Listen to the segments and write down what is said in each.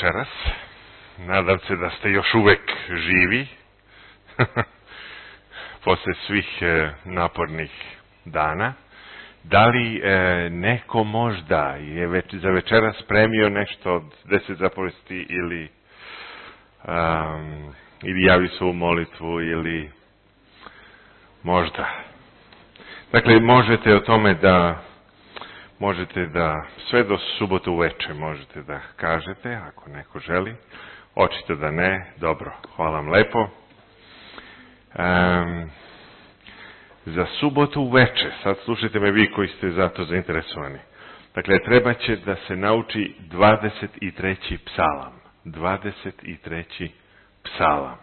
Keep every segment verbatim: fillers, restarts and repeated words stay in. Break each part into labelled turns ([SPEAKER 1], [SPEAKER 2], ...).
[SPEAKER 1] Večeras. Nadam se da ste još uvek živi posle svih e, napornih dana. Da li e, neko možda je već, za večeras spremio nešto od deset zapovesti ili um, ili javi svoju molitvu ili možda. Dakle, možete o tome da možete da sve do subotu uveče možete da kažete, ako neko želi. Očito da ne. Dobro, hvala vam lepo. Um, za subotu uveče, sad slušajte me vi koji ste za to zainteresovani. Dakle, treba će da se nauči dvadeset treći psalam. dvadeset treći psalam.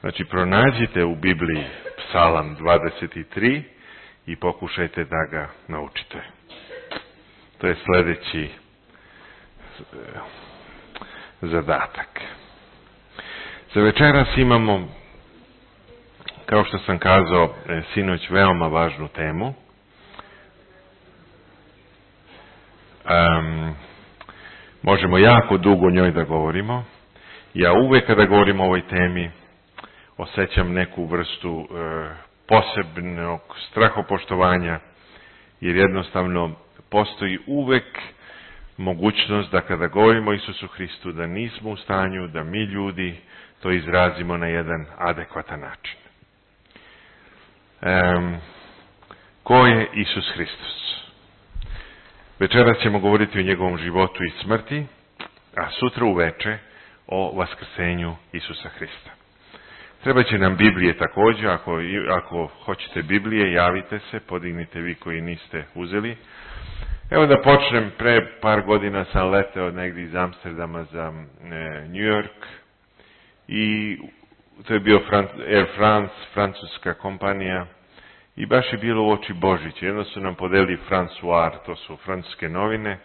[SPEAKER 1] Znači, pronađite u Bibliji psalam dvadeset tri i pokušajte da ga naučite. To je sljedeći zadatak. Za večeras imamo, kao što sam kazao sinoć, veoma važnu temu. Um, možemo jako dugo o njoj da govorimo. Ja uvek kada govorim o ovoj temi osjećam neku vrstu e, posebnog strahopoštovanja, jer jednostavno postoji uvek mogućnost da kada govorimo o Isusu Hristu da nismo u stanju da mi ljudi to izrazimo na jedan adekvatan način. Um, ko je Isus Hristos? Večeras ćemo govoriti o njegovom životu i smrti, a sutra uveče o vaskrsenju Isusa Hrista. Treba će nam Biblije također, ako, ako hoćete Biblije, javite se, podignite vi koji niste uzeli. Evo da počnem, pre par godina sam leteo negdje iz Amsterdama za e, New York i to je bio Fran, Air France, francuska kompanija i baš je bilo u oči Božića. Jedno su nam podeli François, to su francuske novine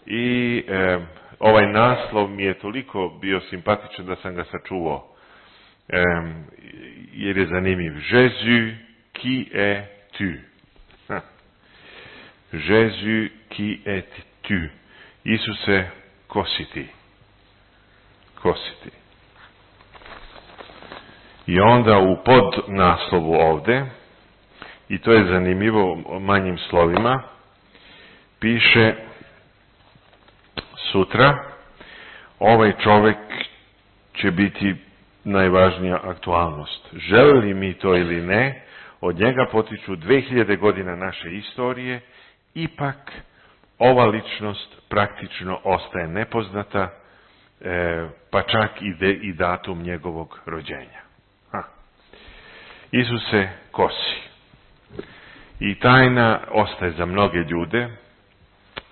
[SPEAKER 1] i e, ovaj naslov mi je toliko bio simpatičan da sam ga sačuvao. Um, jer je zanimljiv. Jésus qui est tu. Ha. Jésus qui est tu. Isuse, ko si ti? Ko si ti? I onda u podnaslovu ovde, i to je zanimljivo manjim slovima, piše sutra ovaj čovjek će biti najvažnija aktualnost. Želi mi to ili ne, od njega potiču dve hiljade godina naše istorije, ipak ova ličnost praktično ostaje nepoznata, e, pa čak i, de, i datum njegovog rođenja. Ha. Isuse, ko si? I tajna ostaje za mnoge ljude,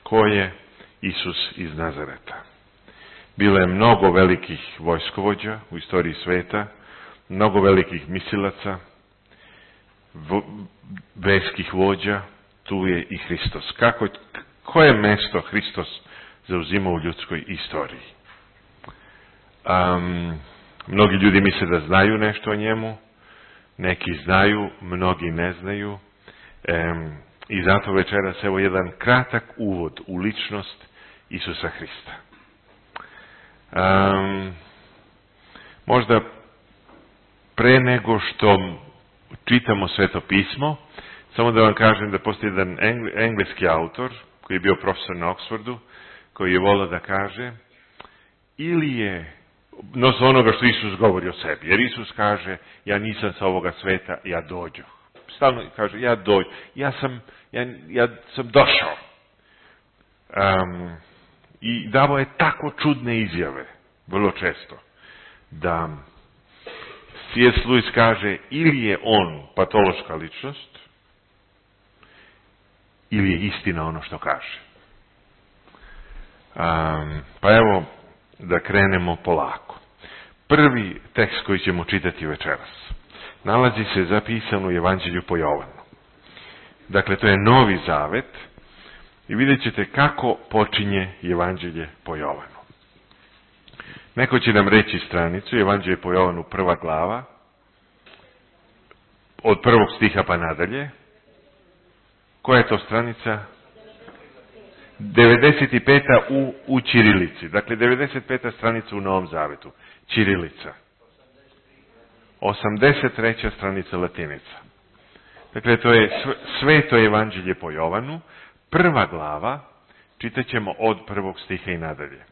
[SPEAKER 1] ko je Isus iz Nazareta. Bilo je mnogo velikih vojskovođa u istoriji sveta, mnogo velikih misilaca, verskih vođa, tu je i Hristos. Kako, koje mesto Hristos zauzima u ljudskoj istoriji? Um, mnogi ljudi misle da znaju nešto o njemu, neki znaju, mnogi ne znaju. Um, I zato večeras evo jedan kratak uvod u ličnost Isusa Hrista. Um, možda pre nego što čitamo Sveto pismo, samo da vam kažem da postoji jedan engleski autor koji je bio profesor na Oxfordu, koji je volio da kaže ili je nos onoga što Isus govori o sebi, jer Isus kaže ja nisam sa ovoga sveta, ja dođu. Stalno kaže ja dođu, ja sam, ja, ja sam došao. Um, I davo je tako čudne izjave, vrlo često, da C S. Lewis kaže ili je on patološka ličnost, ili je istina ono što kaže. Um, pa evo da krenemo polako. Prvi tekst koji ćemo čitati večeras nalazi se zapisan u Evanđelju po Jovanu. Dakle, to je Novi Zavet. I vidjet ćete kako počinje Evanđelje po Jovanu. Neko će nam reći stranicu, Evanđelje po Jovanu, prva glava, od prvog stiha pa nadalje. Koja je to stranica? devedeset peta u, u ćirilici. Dakle, devedeset peta stranica u Novom Zavetu. Ćirilica. osamdeset treća stranica latinica. Dakle, to je Sveto evanđelje po Jovanu, prva glava, čitat ćemo od prvog stiha i nadalje.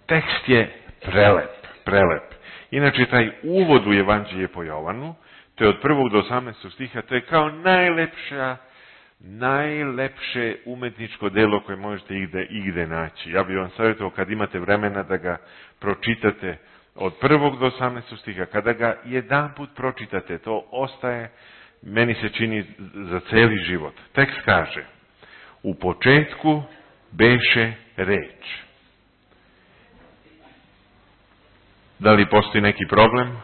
[SPEAKER 1] Tekst je prelep, prelep. Inače, taj uvod u evanđelje po Jovanu, to je od prvog do osamnaestog stiha, to je kao najlepša, najlepše umetničko delo koje možete igde, igde naći. Ja bih vam savjetovao kad imate vremena da ga pročitate od prvog do osamnaestog stiha. Kada ga jedan put pročitate, to ostaje, meni se čini, za celi život. Tekst kaže, u početku beše reč. Da li postoji neki problem?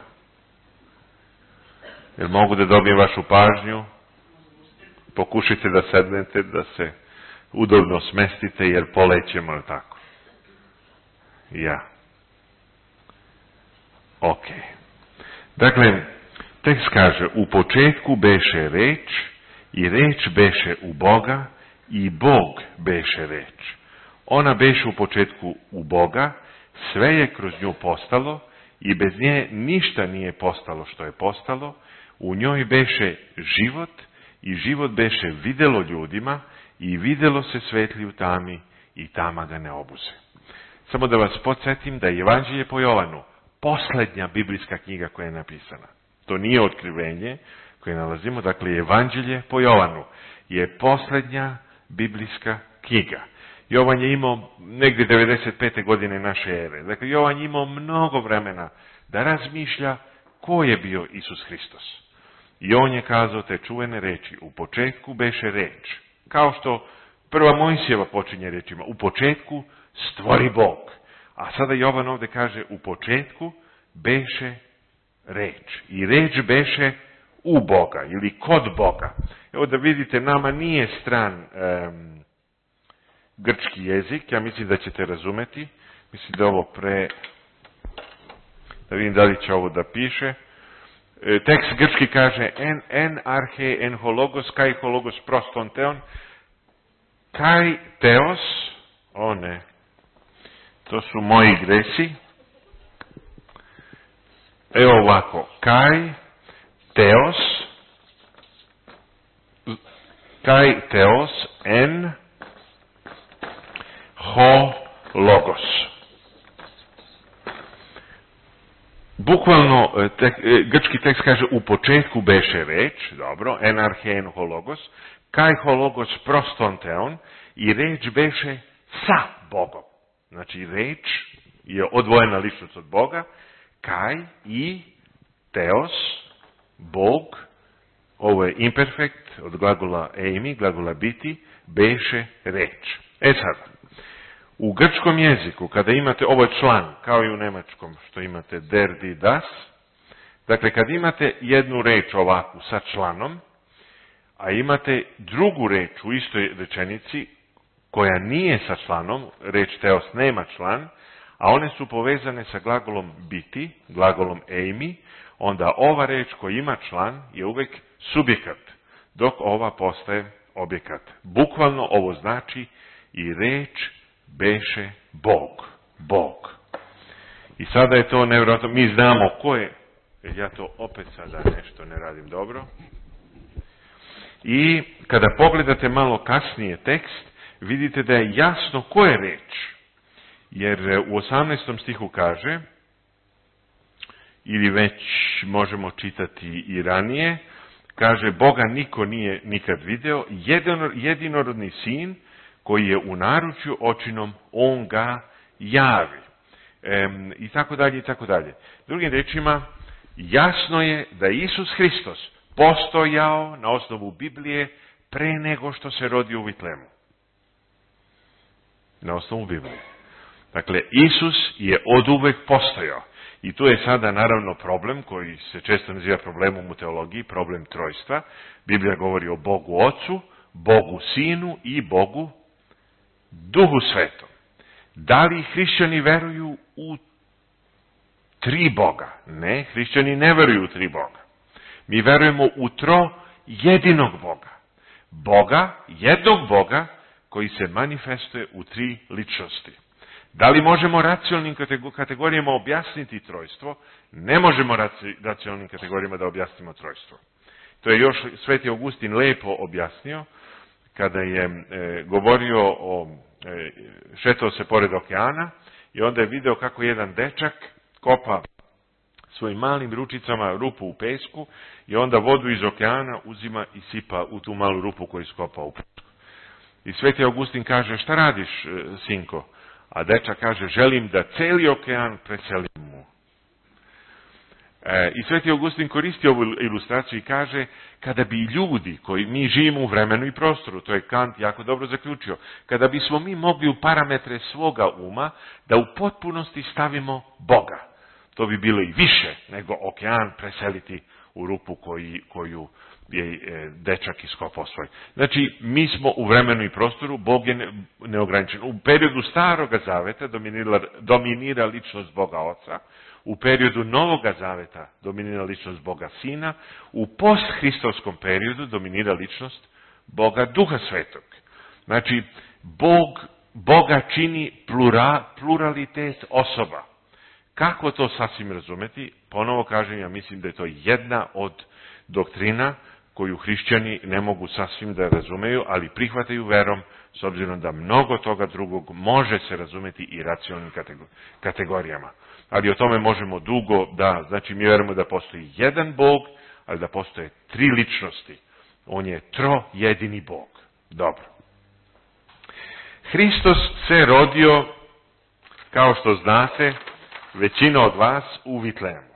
[SPEAKER 1] Jer mogu da dobijem vašu pažnju? Pokušajte da sednete, da se udobno smestite, jer polećemo, je tako? Ja. Ok. Dakle, tekst kaže, u početku beše reč, i reč beše u Boga, i Bog beše reč. Ona beše u početku u Boga, sve je kroz nju postalo, i bez nje ništa nije postalo što je postalo, u njoj beše život, i život beše videlo ljudima, i videlo se svetli u tami, i tama ga ne obuze. Samo da vas podsjetim da je Evanđelje po Jovanu posljednja biblijska knjiga koja je napisana. To nije otkrivenje koje nalazimo, dakle Evanđelje po Jovanu je posljednja biblijska knjiga. Jovan je imao negdje devedeset pete godine naše ere. Dakle, Jovan je imao mnogo vremena da razmišlja ko je bio Isus Hristos. I on je kazao te čuvene reči, u početku beše reč. Kao što prva Mojsijeva počinje rečima, u početku stvori Bog. A sada Jovan ovdje kaže, u početku beše reč. I reč beše u Boga ili kod Boga. Evo da vidite, nama nije stran um, grčki jezik, ja mislim da ćete razumeti. Mislim da ovo pre... Da vidim da li će ovo da piše. E, tekst grčki kaže en, en arhe en hologos, kaj hologos proston teon, kaj teos, o ne, to su moji gresi. Evo ovako, kaj teos, kaj teos en ho logos. Bukvalno, tek, grčki tekst kaže, u početku beše reč, dobro, en arhe en ho logos, kaj ho logos proston teon, i reč beše sa Bogom. Znači, reč je odvojena ličnost od Boga, kaj i teos, Bog, ovo je imperfekt od glagola eimi, glagola biti, beše reč. E sad, u grčkom jeziku, kada imate, ovo je član, kao i u nemačkom, što imate der, die, das, dakle, kad imate jednu reč ovakvu sa članom, a imate drugu reč u istoj rečenici, koja nije sa članom, reč teos nema član, a one su povezane sa glagolom biti, glagolom eimi, onda ova reč koja ima član je uvek subjekat, dok ova postaje objekat. Bukvalno ovo znači i reč beše Bog. Bog. I sada je to nevjerojatno, mi znamo ko je, jer ja to opet sada nešto ne radim dobro. I kada pogledate malo kasnije tekst, vidite da je jasno ko je reč. Jer u osamnaestom stihu kaže, ili već možemo čitati i ranije, kaže, Boga niko nije nikad video, jedino, jedinorodni sin koji je u naručju očinom, on ga javi. E, I tako dalje, i tako dalje. Drugim rečima, jasno je da Isus Hristos postojao na osnovu Biblije pre nego što se rodio u Vitlemu. Na osnovu Biblije. Dakle, Isus je oduvek postojao. I tu je sada naravno problem koji se često naziva problemom u teologiji, problem trojstva. Biblija govori o Bogu Ocu, Bogu Sinu i Bogu Duhu Svetom. Da li hrišćani veruju u tri Boga? Ne, hrišćani ne veruju u tri Boga. Mi verujemo u tro jedinog Boga. Boga, jednog Boga, koji se manifestuje u tri ličnosti. Da li možemo racionalnim kategorijama objasniti trojstvo? Ne možemo racionalnim kategorijama da objasnimo trojstvo. To je još Sveti Augustin lepo objasnio kada je e, govorio o, e, šetao se pored okeana i onda je video kako jedan dečak kopa svojim malim ručicama rupu u pesku i onda vodu iz okeana uzima i sipa u tu malu rupu koju skopa u pesku. I Sveti Augustin kaže, šta radiš, sinko? A dečak kaže, želim da celi okean preselim mu. E, I Sveti Augustin koristi ovu ilustraciju i kaže, kada bi ljudi, koji mi živimo u vremenu i prostoru, to je Kant jako dobro zaključio, kada bismo mi mogli u parametre svoga uma da u potpunosti stavimo Boga, to bi bilo i više nego okean preseliti u rupu koji, koju je dečak iskopao svoj. Znači, mi smo u vremenu i prostoru, Bog je neograničen. U periodu Staroga zaveta dominira, dominira ličnost Boga Oca, u periodu Novoga zaveta dominira ličnost Boga Sina, u posthristovskom periodu dominira ličnost Boga Duha Svetog. Znači, Bog, Boga čini plura, pluralitet osoba. Kako to sasvim razumeti? Ponovo kažem, ja mislim da je to jedna od doktrina koju hrišćani ne mogu sasvim da razumeju, ali prihvataju verom, s obzirom da mnogo toga drugog može se razumeti i racionalnim kategorijama. Ali o tome možemo dugo da, znači mi verujemo da postoji jedan Bog, ali da postoje tri ličnosti. On je trojedini Bog. Dobro. Hristos se rodio, kao što znate, većina od vas u Vitlejemu.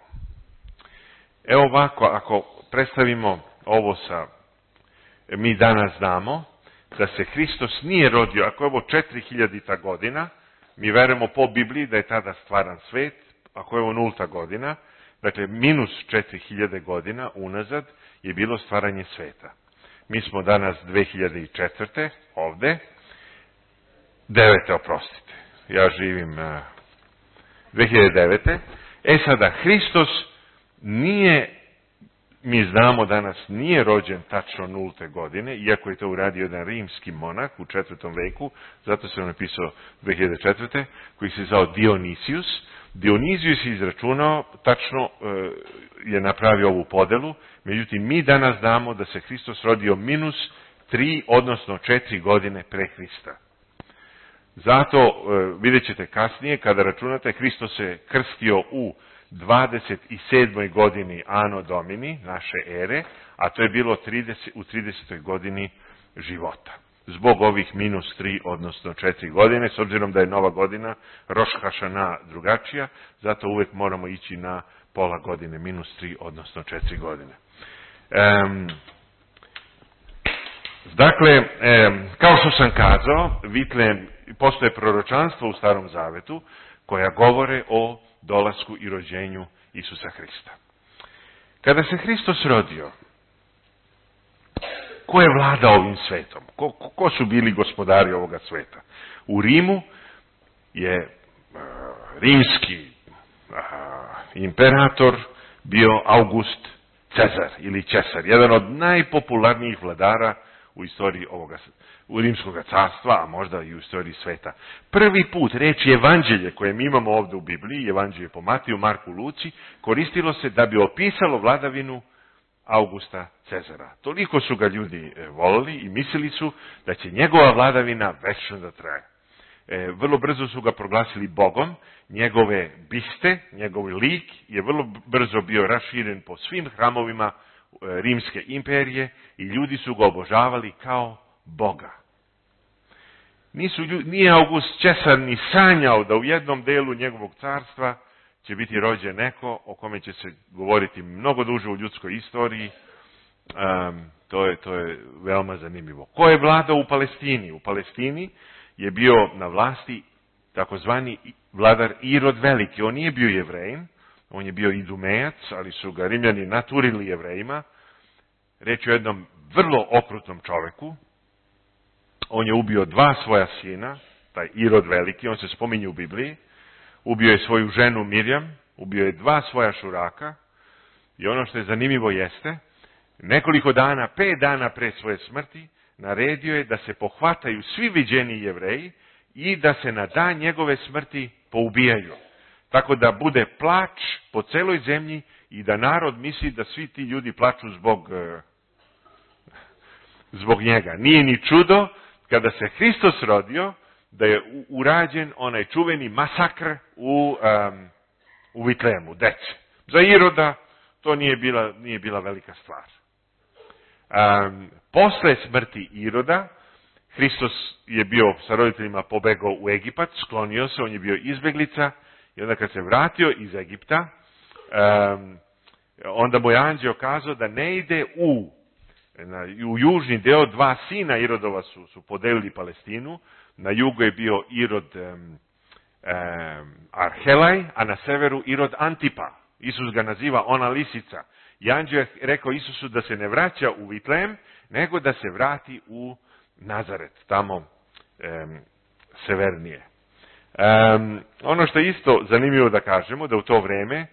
[SPEAKER 1] Evo ovako, ako predstavimo ovo sa, mi danas znamo da se Hristos nije rodio, ako je ovo četiri hiljadita godina, mi verujemo po Bibliji da je tada stvaran svet, ako je ovo nulta godina, dakle minus četiri hiljade godina unazad je bilo stvaranje sveta. Mi smo danas dve hiljade četvrte ovde, devete oprostite, ja živim uh, dve hiljade devete. E sada, Hristos nije, mi znamo danas, nije rođen tačno nulte godine, iako je to uradio jedan rimski monah u četvrtom veku, zato se on napisao dve hiljade četvrte, koji se zvao Dionisius. Dionizijus je izračunao, tačno je napravio ovu podelu, međutim mi danas znamo da se Hristos rodio minus tri, odnosno četiri godine pre Hrista. Zato vidjet ćete kasnije, kada računate, Hristos se krstio u dvadeset sedmoj godini Anno Domini, naše ere, a to je bilo trideset, u tridesetoj godini života. Zbog ovih minus tri, odnosno četiri godine, s obzirom da je nova godina, Roš Hašana drugačija, zato uvek moramo ići na pola godine, minus tri, odnosno četiri godine. Um, dakle, um, kao što sam kazao, Vitlejem, postoje proročanstvo u Starom Zavetu, koja govore o dolasku i rođenju Isusa Hrista. Kada se Hristos rodio, ko je vladao ovim svetom? Ko, ko su bili gospodari ovoga sveta? U Rimu je uh, rimski uh, imperator bio August Cezar ili Cesar, jedan od najpopularnijih vladara u istoriji ovoga, u rimskog carstva, a možda i u istoriji sveta. Prvi put reči evanđelje koje mi imamo ovdje u Bibliji, evanđelje po Matiju, Marku, Luci, koristilo se da bi opisalo vladavinu Augusta Cezara. Toliko su ga ljudi volili i mislili su da će njegova vladavina večno da traje. E, vrlo brzo su ga proglasili Bogom, njegove biste, njegov lik je vrlo brzo bio raširen po svim hramovima Rimske imperije i ljudi su ga obožavali kao Boga. Nisu, nije August Cesar ni sanjao da u jednom delu njegovog carstva će biti rođen neko o kome će se govoriti mnogo duže u ljudskoj istoriji. Um, to, je, to je veoma zanimljivo. Ko je vladao u Palestini? U Palestini je bio na vlasti takozvani vladar Irod Veliki. On nije bio Jevrejin, on je bio Idumejac, ali su ga Rimljani naturili Jevrejima. Reč je o jednom vrlo okrutnom čoveku. On je ubio dva svoja sina, taj Irod Veliki, on se spominje u Bibliji. Ubio je svoju ženu Mirjam, ubio je dva svoja šuraka i ono što je zanimljivo jeste, nekoliko dana, pet dana pre svoje smrti, naredio je da se pohvataju svi viđeni Jevreji i da se na dan njegove smrti poubijaju. Tako da bude plač po celoj zemlji i da narod misli da svi ti ljudi plaču zbog, zbog njega. Nije ni čudo kada se Hristos rodio da je urađen onaj čuveni masakr u, um, u Vitlemu, dece. Za Iroda to nije bila, nije bila velika stvar. Um, posle smrti Iroda, Hristos je bio sa roditeljima pobegao u Egipat, sklonio se, on je bio izbeglica i onda kad se vratio iz Egipta, um, onda mu je anđeo kazao da ne ide u, na, u južni deo, dva sina Irodova su, su podelili Palestinu, na jugu je bio Irod um, um, Arhelaj, a na severu Irod Antipa. Isus ga naziva ona lisica. I anđeo je rekao Isusu da se ne vraća u Vitlem, nego da se vrati u Nazaret, tamo um, severnije. Um, ono što je isto zanimljivo da kažemo, da u to vreme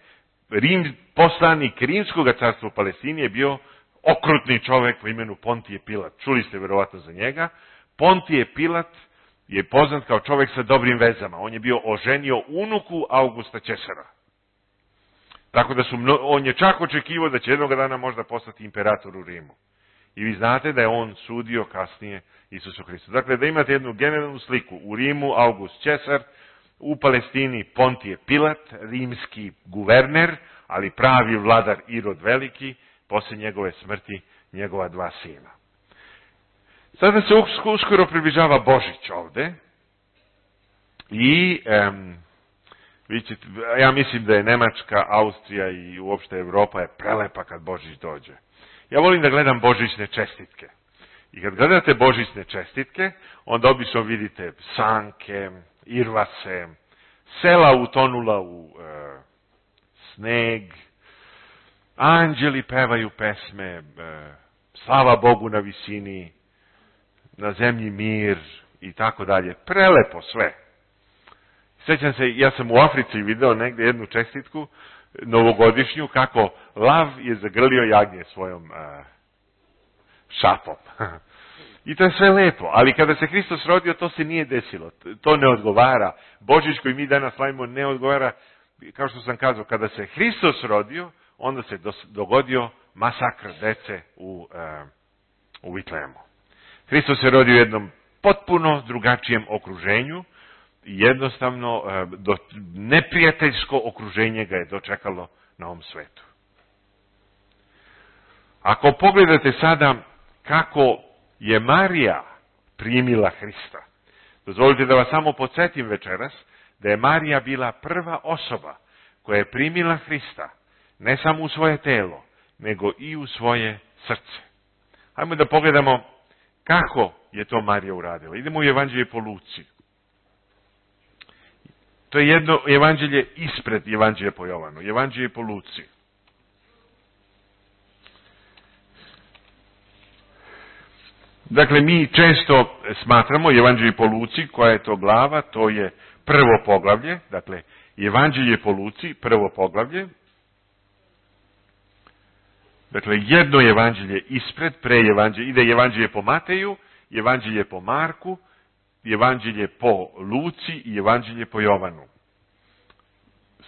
[SPEAKER 1] Rim, poslanik Rimskog carstva u Palestini je bio okrutni čovjek po imenu Pontije Pilat. Čuli ste verovatno za njega. Pontije Pilat je poznat kao čovjek sa dobrim vezama. On je bio oženio unuku Augusta Cesara. Tako da su, on je čak očekivao da će jednog dana možda postati imperator u Rimu. I vi znate da je on sudio kasnije Isusu Hristu. Dakle, da imate jednu generalnu sliku. U Rimu August Cesar, u Palestini Pontije Pilat, rimski guverner, ali pravi vladar Irod Veliki, posle njegove smrti njegova dva sina. Sada se uskoro približava Božić ovde i um, vi ćete, ja mislim da je Nemačka, Austrija i uopšte Evropa je prelepa kad Božić dođe. Ja volim da gledam božićne čestitke. I kad gledate božićne čestitke, onda obično vidite sanke, irvase, sela utonula u e, sneg, anđeli pevaju pesme, e, slava Bogu na visini, na zemlji mir i tako dalje. Prelepo sve. Sjećam se, ja sam u Africi video negdje jednu čestitku, novogodišnju, kako lav je zagrlio jagnje svojom a, šapom. I to je sve lepo, ali kada se Hristos rodio, to se nije desilo. To ne odgovara. Božić koji mi danas slavimo ne odgovara, kao što sam kazao, kada se Hristos rodio, onda se dogodio masakr dece u, a, u Vitlemu. Hristos se rodio u jednom potpuno drugačijem okruženju, jednostavno do, neprijateljsko okruženje ga je dočekalo na ovom svetu. Ako pogledate sada kako je Marija primila Hrista, dozvolite da vas samo podsjetim večeras da je Marija bila prva osoba koja je primila Hrista, ne samo u svoje telo, nego i u svoje srce. Hajmo da pogledamo kako je to Marija uradila. Idemo u Evanđelje po Luci. To je jedno evanđelje ispred Evanđelja po Jovanu. Evanđelje po Luci. Dakle, mi često smatramo Evanđelje po Luci, koja je to glava, to je prvo poglavlje. Dakle, Evanđelje po Luci, prvo poglavlje. Dakle, jedno evanđelje ispred, pre evanđelje, ide Evanđelje po Mateju, Evanđelje po Marku, Evanđelje po Luci i Evanđelje po Jovanu.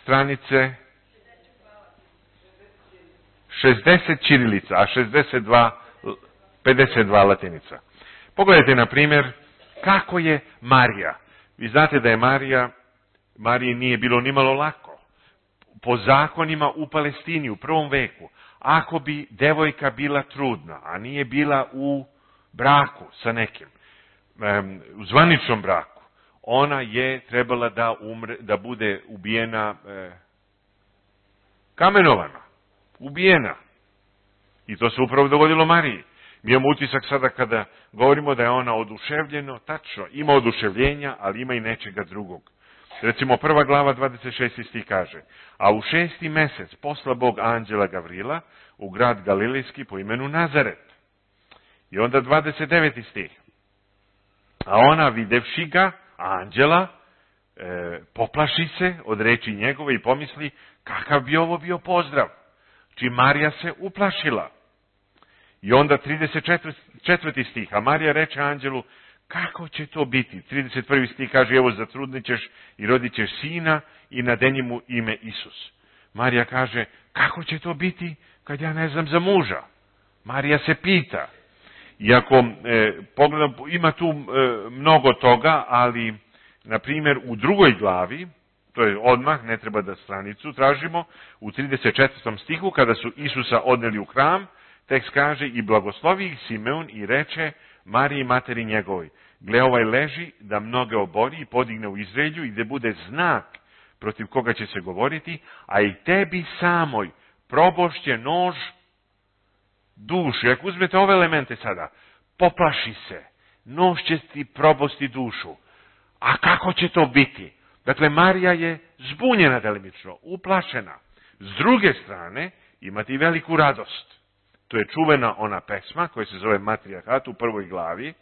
[SPEAKER 1] Stranice šezdeset ćirilica, a šezdeset dva, pedeset dva latinica. Pogledajte, na primjer, kako je Marija. Vi znate da je Marija, Mariji nije bilo nimalo lako. Po zakonima u Palestini u prvom veku, ako bi devojka bila trudna, a nije bila u braku sa nekim, u zvaničnom braku, ona je trebala da umre, da bude ubijena, e, kamenovana, ubijena. I to se upravo dogodilo Mariji. Mi imamo utisak sada kada govorimo da je ona oduševljeno, tačno, ima oduševljenja, ali ima i nečega drugog. Recimo prva glava dvadeset šesti stih kaže: a u šesti mesec posla Bog anđela Gavrila u grad Galilejski po imenu Nazaret. I onda dvadeset deveti stih. A ona videvši ga, anđela, e, poplaši se od reči njegove i pomisli kakav bi ovo bio pozdrav. Či Marija se uplašila. I onda trideset četvrti stih, a Marija reče anđelu, kako će to biti? trideset prvi stih kaže, evo zatrudnit ćeš i rodit ćeš sina i nadeni mu ime Isus. Marija kaže, kako će to biti kad ja ne znam za muža? Marija se pita. Iako e, pogledam, ima tu e, mnogo toga, ali, na primjer, u drugoj glavi, to je odmah, ne treba da stranicu tražimo, u trideset četvrtom stihu, kada su Isusa odneli u hram, tekst kaže, i blagoslovi ih Simeon i reče Mariji materi njegovoj, gle ovaj leži da mnoge obori i podigne u Izraelju i da bude znak protiv koga će se govoriti, a i tebi samoj probošće nož dušu. Ako uzmete ove elemente sada, poplaši se, nož će ti probosti dušu. A kako će to biti? Dakle, Marija je zbunjena delimično, uplašena. S druge strane, imate i veliku radost. To je čuvena ona pesma koja se zove Matrijarhat u prvoj glavi,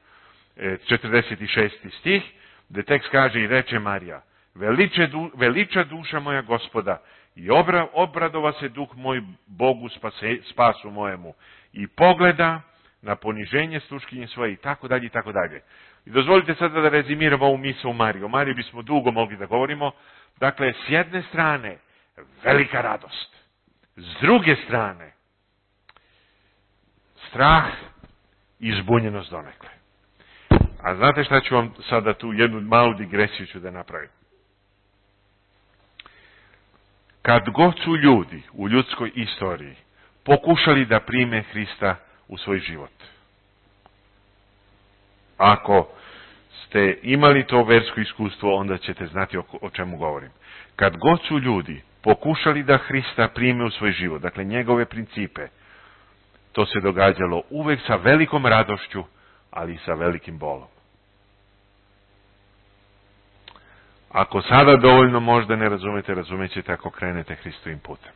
[SPEAKER 1] četrdeset šesti stih, gde tekst kaže i reče Marija, Veliče, veliča duša moja Gospoda i obra, obradova se duh moj Bogu spase, spasu mojemu i pogleda na poniženje sluškinje svoje i tako dalje i tako dalje. I dozvolite sada da rezimiramo ovu misao u Mariju. O Mariji bismo dugo mogli da govorimo. Dakle, s jedne strane, velika radost. S druge strane, strah i zbunjenost donekle. A znate šta ću vam sada tu jednu malu digresiju ću da napravim. Kad god su ljudi u ljudskoj istoriji pokušali da prime Hrista u svoj život. Ako ste imali to versko iskustvo, onda ćete znati o, o čemu govorim. Kad god su ljudi pokušali da Hrista prime u svoj život, dakle njegove principe, to se događalo uvek sa velikom radošću, ali i sa velikim bolom. Ako sada dovoljno možda ne razumete, razumećete ako krenete Hristovim putem.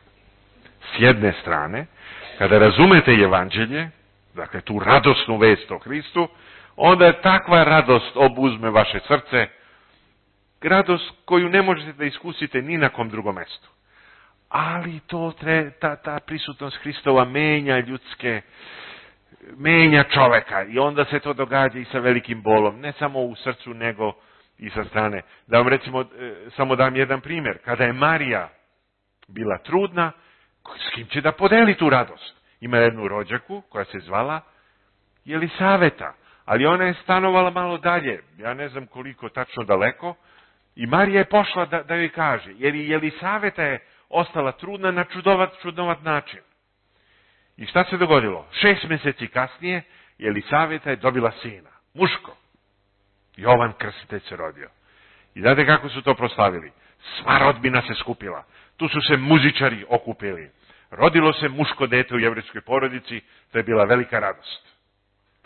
[SPEAKER 1] S jedne strane, kada razumete evanđelje, dakle tu radosnu vest o Hristu, onda je takva radost obuzme vaše srce, radost koju ne možete da iskusite ni na kom drugom mestu. Ali to tre, ta, ta prisutnost Hristova menja ljudske, menja čoveka i onda se to događa i sa velikim bolom, ne samo u srcu nego i sa strane. Da vam recimo, samo dam jedan primjer. Kada je Marija bila trudna, s kim će da podeli tu radost? Ima jednu rođaku koja se zvala Jelisaveta, ali ona je stanovala malo dalje, ja ne znam koliko tačno daleko, i Marija je pošla da, da joj kaže, jer i Jelisaveta je ostala trudna na čudovat, čudnovat način. I šta se dogodilo? Šest mjeseci kasnije Jelisaveta je dobila sina, muško. Jovan Krstitelj se rodio. I znate kako su to proslavili? Sva rodbina se skupila. Tu su se muzičari okupili. Rodilo se muško dete u jevrejskoj porodici, to je bila velika radost.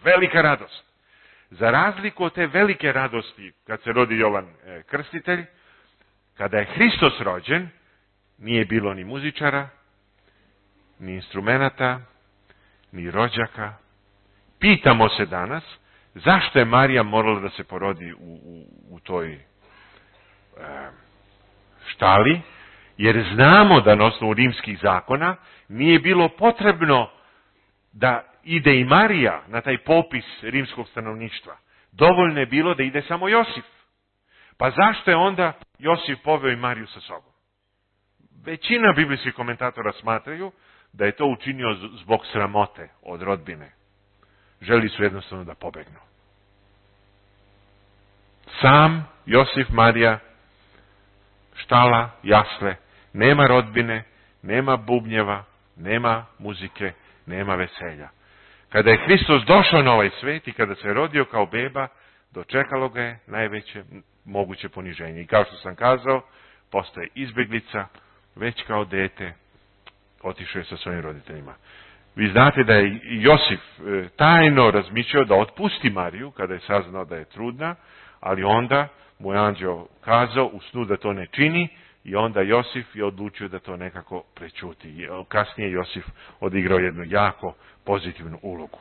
[SPEAKER 1] Velika radost. Za razliku od te velike radosti, kad se rodi Jovan Krstitelj, kada je Hristos rođen, nije bilo ni muzičara, ni instrumenata, ni rođaka. Pitamo se danas, zašto je Marija morala da se porodi u, u, u toj e, štali? Jer znamo da na osnovu rimskih zakona nije bilo potrebno da ide i Marija na taj popis rimskog stanovništva. Dovoljno je bilo da ide samo Josif. Pa zašto je onda Josif poveo i Mariju sa sobom? Većina biblijskih komentatora smatraju da je to učinio zbog sramote od rodbine. Želi su jednostavno da pobegnu. Sam Josif, Marija, štala, jasle, nema rodbine, nema bubnjeva, nema muzike, nema veselja. Kada je Hristos došao na ovaj svet i kada se rodio kao beba, dočekalo ga je najveće moguće poniženje. I kao što sam kazao, postaje izbjeglica, već kao dete otišao je sa svojim roditeljima. Vi znate da je Josif tajno razmišljao da otpusti Mariju kada je saznao da je trudna, ali onda mu je anđeo kazao u snu da to ne čini i onda Josif je odlučio da to nekako prećuti. Kasnije Josif odigrao jednu jako pozitivnu ulogu.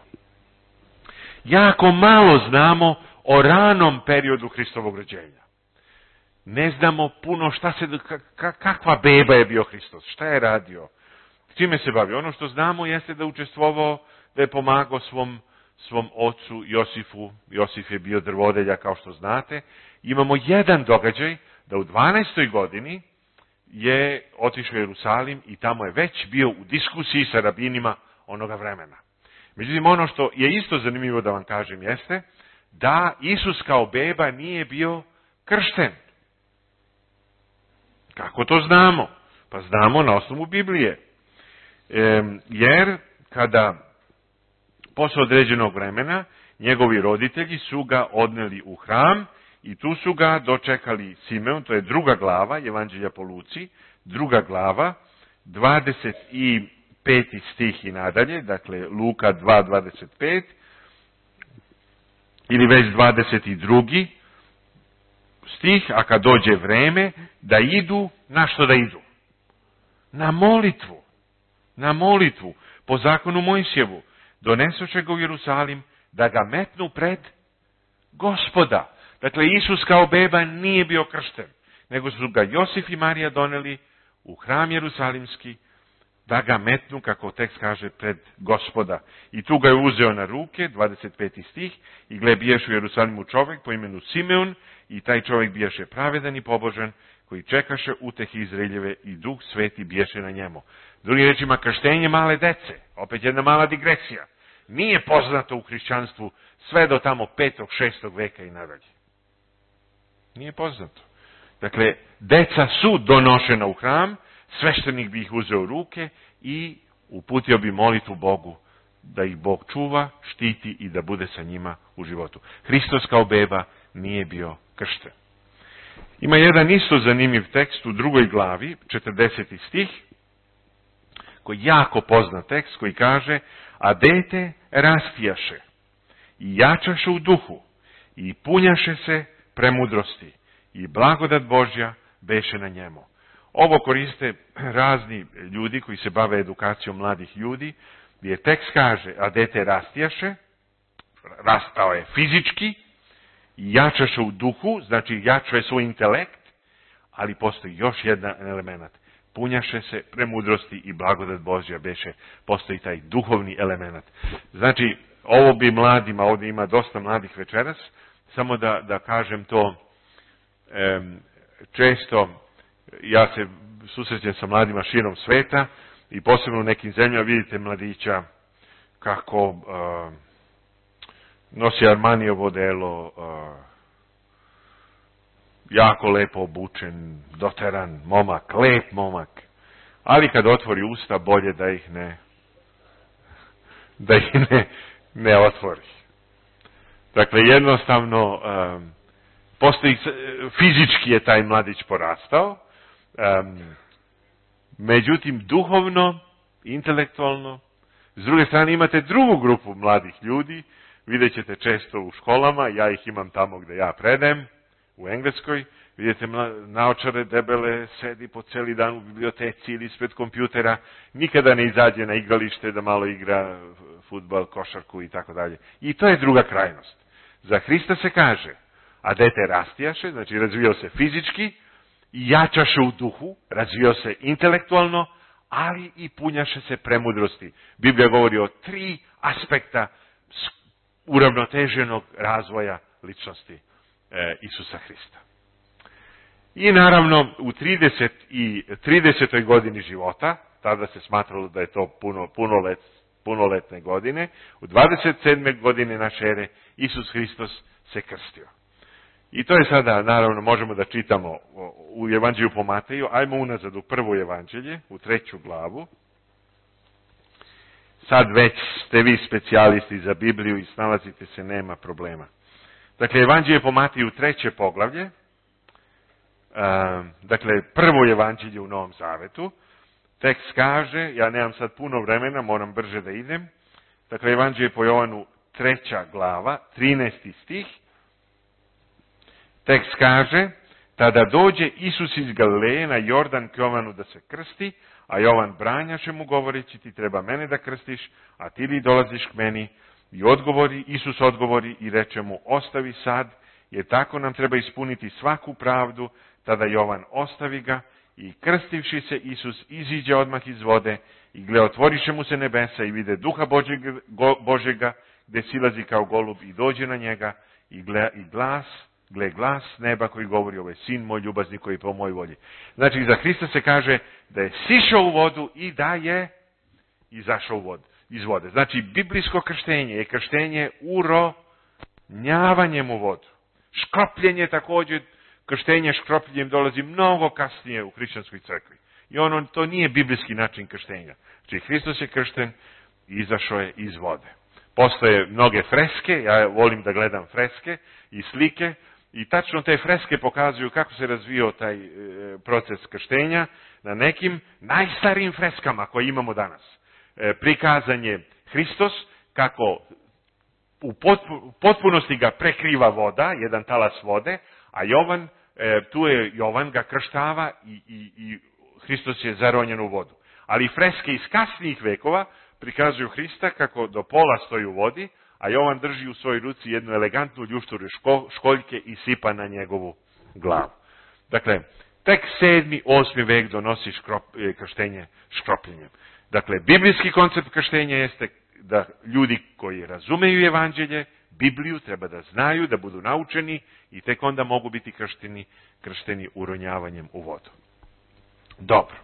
[SPEAKER 1] Jako malo znamo o ranom periodu Hristovog rođenja. Ne znamo puno šta se, kakva beba je bio Hristos, šta je radio, čime se bavio. Ono što znamo jeste da učestvovao da je pomagao svom, svom ocu Josifu. Josif je bio drvodelja, kao što znate. Imamo jedan događaj da u dvanaestoj godini je otišao u Jerusalim i tamo je već bio u diskusiji sa rabinima onoga vremena. Međutim, ono što je isto zanimljivo da vam kažem jeste da Isus kao beba nije bio kršten. Kako to znamo? Pa znamo na osnovu Biblije. E, jer kada posle određenog vremena njegovi roditelji su ga odneli u hram i tu su ga dočekali Simeon, to je druga glava, Evanđelja po Luci, druga glava, dvadeset peti stih i nadalje, dakle Luka dva dvadeset pet, ili već dvadeset drugi stih, a kad dođe vreme da idu, na što da idu? Na molitvu. Na molitvu. Po zakonu Mojsijevu. Donesoše ga u Jerusalim da ga metnu pred Gospoda. Dakle, Isus kao beba nije bio kršten, nego su ga Josif i Marija doneli u hram Jerusalimski da ga metnu, kako tekst kaže, pred Gospoda. I tu ga je uzeo na ruke, dvadeset peti stih, i gle, bijaše u Jerusalimu čovjek po imenu Simeon, i taj čovjek bijaše pravedan i pobožan, koji čekaše utehi Izraeljeve i Duh Sveti bijaše na njemu. Drugim rečima, krštenje male dece, opet jedna mala digresija, nije poznato u hrišćanstvu sve do tamo petog, šestog veka i nadalje. Nije poznato. Dakle, deca su donošena u hram, sveštenik bi ih uzeo u ruke i uputio bi molitvu Bogu da ih Bog čuva, štiti i da bude sa njima u životu. Hristos kao beba nije bio kršten. Ima jedan isto zanimljiv tekst u drugoj glavi, četrdeseti stih, koji je jako poznat tekst, koji kaže: a dete rastijaše i jačaše u duhu i punjaše se premudrosti i blagodat Božja beše na njemu. Ovo koriste razni ljudi koji se bave edukacijom mladih ljudi, gdje tekst kaže: a dete rastijaše, rastao je fizički, jačaše u duhu, znači jačuje svoj intelekt, ali postoji još jedan element. Punjaše se premudrosti i blagodat Božja beše, postoji taj duhovni element. Znači, ovo bi mladima, ovdje ima dosta mladih večeras, samo da, da kažem to, e, često ja se susrećem sa mladima širom sveta i posebno u nekim zemljama vidite mladića kako e, nosi Armanijevo delo, e, jako lepo obučen, doteran momak, lep momak, ali kad otvori usta, bolje da ih ne da ih ne, ne otvori. Dakle, jednostavno um, postoji, fizički je taj mladić porastao, um, međutim duhovno, intelektualno. S druge strane imate drugu grupu mladih ljudi, vidjet ćete često u školama, ja ih imam tamo gde ja predajem, u Engleskoj, vidite naočare debele, sedi po celi dan u biblioteci ili ispred kompjutera, nikada ne izađe na igralište da malo igra fudbal, košarku i tako dalje. I to je druga krajnost. Za Hrista se kaže: a dete rastijaše, znači razvijao se fizički, jačaše u duhu, razvijao se intelektualno, ali i punjaše se premudrosti. Biblija govori o tri aspekta uravnoteženog razvoja ličnosti Isusa Hrista. I naravno u trideset i tridesetoj godini života, tada se smatralo da je to puno, punolet, punoletne godine, u dvadeset sedme godine naše ere Isus Hristos se krstio. I to je sada, naravno, možemo da čitamo u Evanđelju po Mateju. Ajmo unazad u prvo evanđelje, u treću glavu. Sad već ste vi specijalisti za Bibliju i snalazite se, nema problema. Dakle, Evanđelje po Mateju, treće poglavlje, dakle, prvo evanđelje u Novom Zavetu. Tekst kaže, ja nemam sad puno vremena, moram brže da idem. Dakle, Evanđelje po Jovanu, treća glava, trinaesti stih. Tekst kaže: tada dođe Isus iz Galileje na Jordan k Jovanu da se krsti, a Jovan branjaše mu govoreći: ti treba mene da krstiš, a ti li dolaziš k meni? I odgovori, Isus odgovori i reče mu: ostavi sad, jer tako nam treba ispuniti svaku pravdu. Tada Jovan ostavi ga I krstivši se, Isus iziđe odmah iz vode i gle, otvoriše mu se nebesa i vide duha Božega, go, Božega gde silazi kao golub i dođe na njega i, gle, i glas, gle glas neba koji govori, ovo je sin moj ljubazni koji je po mojoj volji. Znači, za Hrista se kaže da je sišao u vodu i da je izašao u vodu, iz vode. Znači, biblijsko krštenje je krštenje uronjavanjem u vodu. Škropljenje također, krštenje škropljenjem dolazi mnogo kasnije u hrišćanskoj crkvi. I ono, to nije biblijski način krštenja. Znači, Hristos je kršten i izašao je iz vode. Postoje mnoge freske, ja volim da gledam freske i slike, i tačno te freske pokazuju kako se razvio taj e, proces krštenja na nekim najstarijim freskama koje imamo danas. E, prikazan je Hristos kako u potpunosti ga prekriva voda, jedan talas vode, a Jovan, e, tu je Jovan ga krštava i, i, i Hristos je zaronjen u vodu. Ali freske iz kasnijih vekova prikazuju Hrista kako do pola stoji u vodi, a Jovan drži u svojoj ruci jednu elegantnu ljušturu ško, školjke i sipa na njegovu glavu. Dakle, tek sedmi, osmi vek donosi škrop, krštenje škropljenjem. Dakle, biblijski koncept krštenja jeste da ljudi koji razumeju evanđelje, Bibliju, treba da znaju, da budu naučeni i tek onda mogu biti kršteni, kršteni uronjavanjem u vodu. Dobro.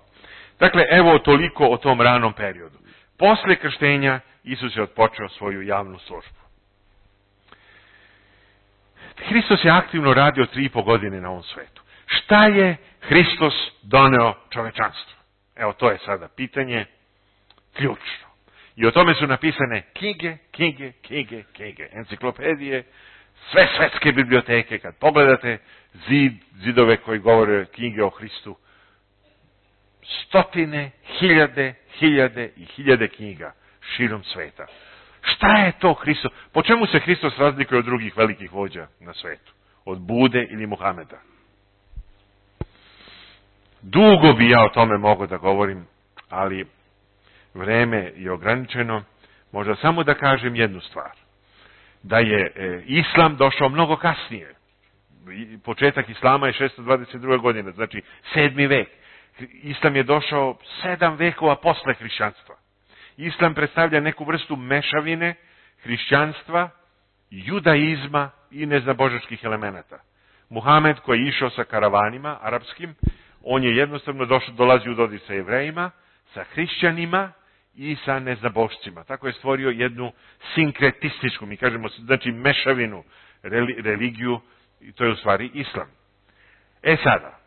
[SPEAKER 1] Dakle, evo toliko o tom ranom periodu. Posle krštenja Isus je odpočeo svoju javnu službu. Hristos je aktivno radio tri i po godine na ovom svetu. Šta je Hristos doneo čovečanstvu? Evo, to je sada pitanje ključno. I o tome su napisane knjige, knjige, knjige, knjige, enciklopedije, sve svetske biblioteke. Kad pogledate zid, zidove koji govore knjige o Hristu, stotine, hiljade, hiljade i hiljade knjiga širom sveta. Šta je to Hristos? Po čemu se Hristos razlikuje od drugih velikih vođa na svetu? Od Bude ili Muhameda? Dugo bi ja o tome mogao da govorim, ali vreme je ograničeno. Možda samo da kažem jednu stvar. Da je e, Islam došao mnogo kasnije. Početak Islama je šesto dvadeset druga godina, znači sedmi vek. Islam je došao sedam vekova posle hrišćanstva. Islam predstavlja neku vrstu mešavine hrišćanstva, judaizma i neznabožačkih elemenata. Muhamed koji je išao sa karavanima arapskim, on je jednostavno došao, dolazi u dodir sa Jevrejima, sa hrišćanima i sa neznabošcima. Tako je stvorio jednu sinkretističku, mi kažemo, znači mešavinu, religiju, i to je u stvari Islam. E sada,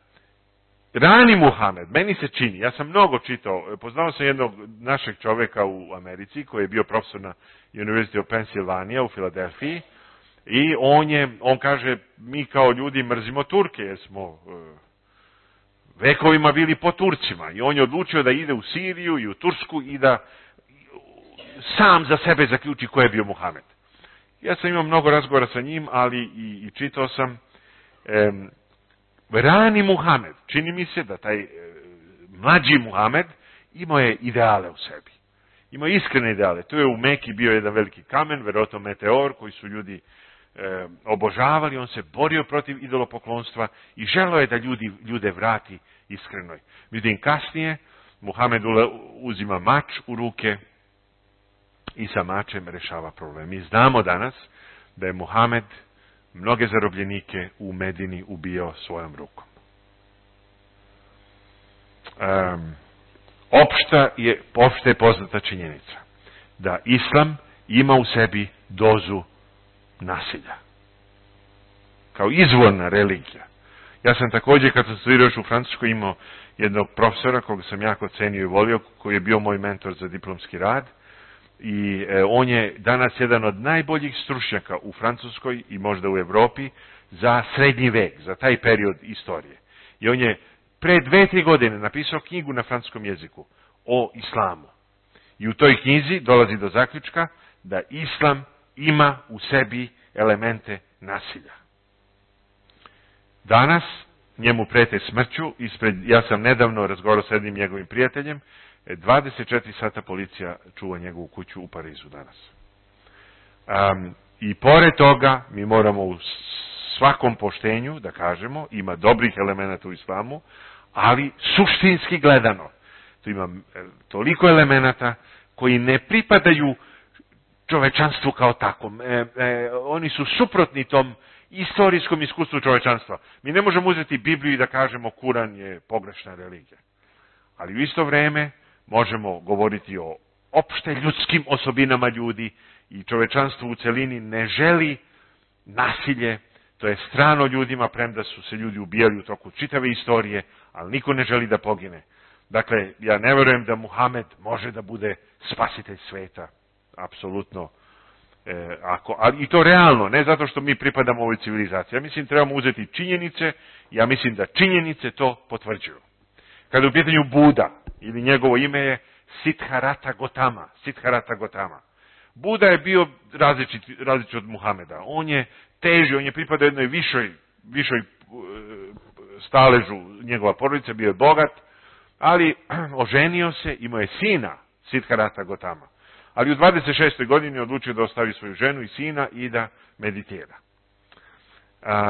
[SPEAKER 1] rani Muhamed, meni se čini, ja sam mnogo čitao, poznao sam jednog našeg čoveka u Americi koji je bio profesor na University of Pennsylvania u Filadelfiji i on je, on kaže, mi kao ljudi mrzimo Turke jer smo uh, vekovima bili po Turcima i on je odlučio da ide u Siriju i u Tursku i da sam za sebe zaključi ko je bio Muhamed. Ja sam imao mnogo razgovora sa njim, ali i, i čitao sam um, rani Muhamed, čini mi se da taj e, mlađi Muhamed imao je ideale u sebi. Imao iskrene ideale. Tu je u Meki bio jedan veliki kamen, verovatno meteor, koji su ljudi e, obožavali. On se borio protiv idolopoklonstva i želeo je da ljudi, ljude vrati iskrenoj. Međutim, kasnije Muhamed uzima mač u ruke i sa mačem rešava problem. Mi znamo danas da je Muhamed mnoge zarobljenike u Medini ubijao svojom rukom. Um, opšta je, opšta je poznata činjenica da Islam ima u sebi dozu nasilja. Kao izvorna religija. Ja sam također, kad sam studirao još u Francuskoj, imao jednog profesora koga sam jako cenio i volio, koji je bio moj mentor za diplomski rad. I e, on je danas jedan od najboljih stručnjaka u Francuskoj i možda u Evropi za srednji vek, za taj period istorije. I on je pre dve, tri godine napisao knjigu na francuskom jeziku o islamu. I u toj knjizi dolazi do zaključka da islam ima u sebi elemente nasilja. Danas njemu prete smrću, ispred, ja sam nedavno razgovarao s jednim njegovim prijateljem, dvadeset četiri sata policija čuva njegovu kuću u Parizu danas. Um, I pored toga mi moramo u svakom poštenju da kažemo, ima dobrih elemenata u islamu, Ali suštinski gledano, tu ima toliko elemenata koji ne pripadaju čovečanstvu kao takvom. E, e, oni su suprotni tom istorijskom iskustvu čovečanstva. Mi ne možemo uzeti Bibliju i da kažemo Kuran je pogrešna religija. Ali u isto vrijeme možemo govoriti o opšte ljudskim osobinama ljudi i čovečanstvo u celini ne želi nasilje, to je strano ljudima, premda su se ljudi ubijali u toku čitave istorije, ali niko ne želi da pogine. Dakle, ja ne verujem da Muhamed može da bude spasitelj sveta. Apsolutno. E, ako, ali i to realno, ne zato što mi pripadamo ovoj civilizaciji. Ja mislim trebamo uzeti činjenice, ja mislim da činjenice to potvrđuju. Kada u pitanju Buda, ili njegovo ime je Siddhartha Gautama, Siddhartha Gautama. Buda je bio različit, različit od Muhameda. On je teži, on je pripadao jednoj višoj, višoj staležu njegova porodica, bio je bogat, ali oženio se, imao je sina, Siddhartha Gautama. Ali u dvadeset šestoj godini odlučio da ostavi svoju ženu i sina i da meditira.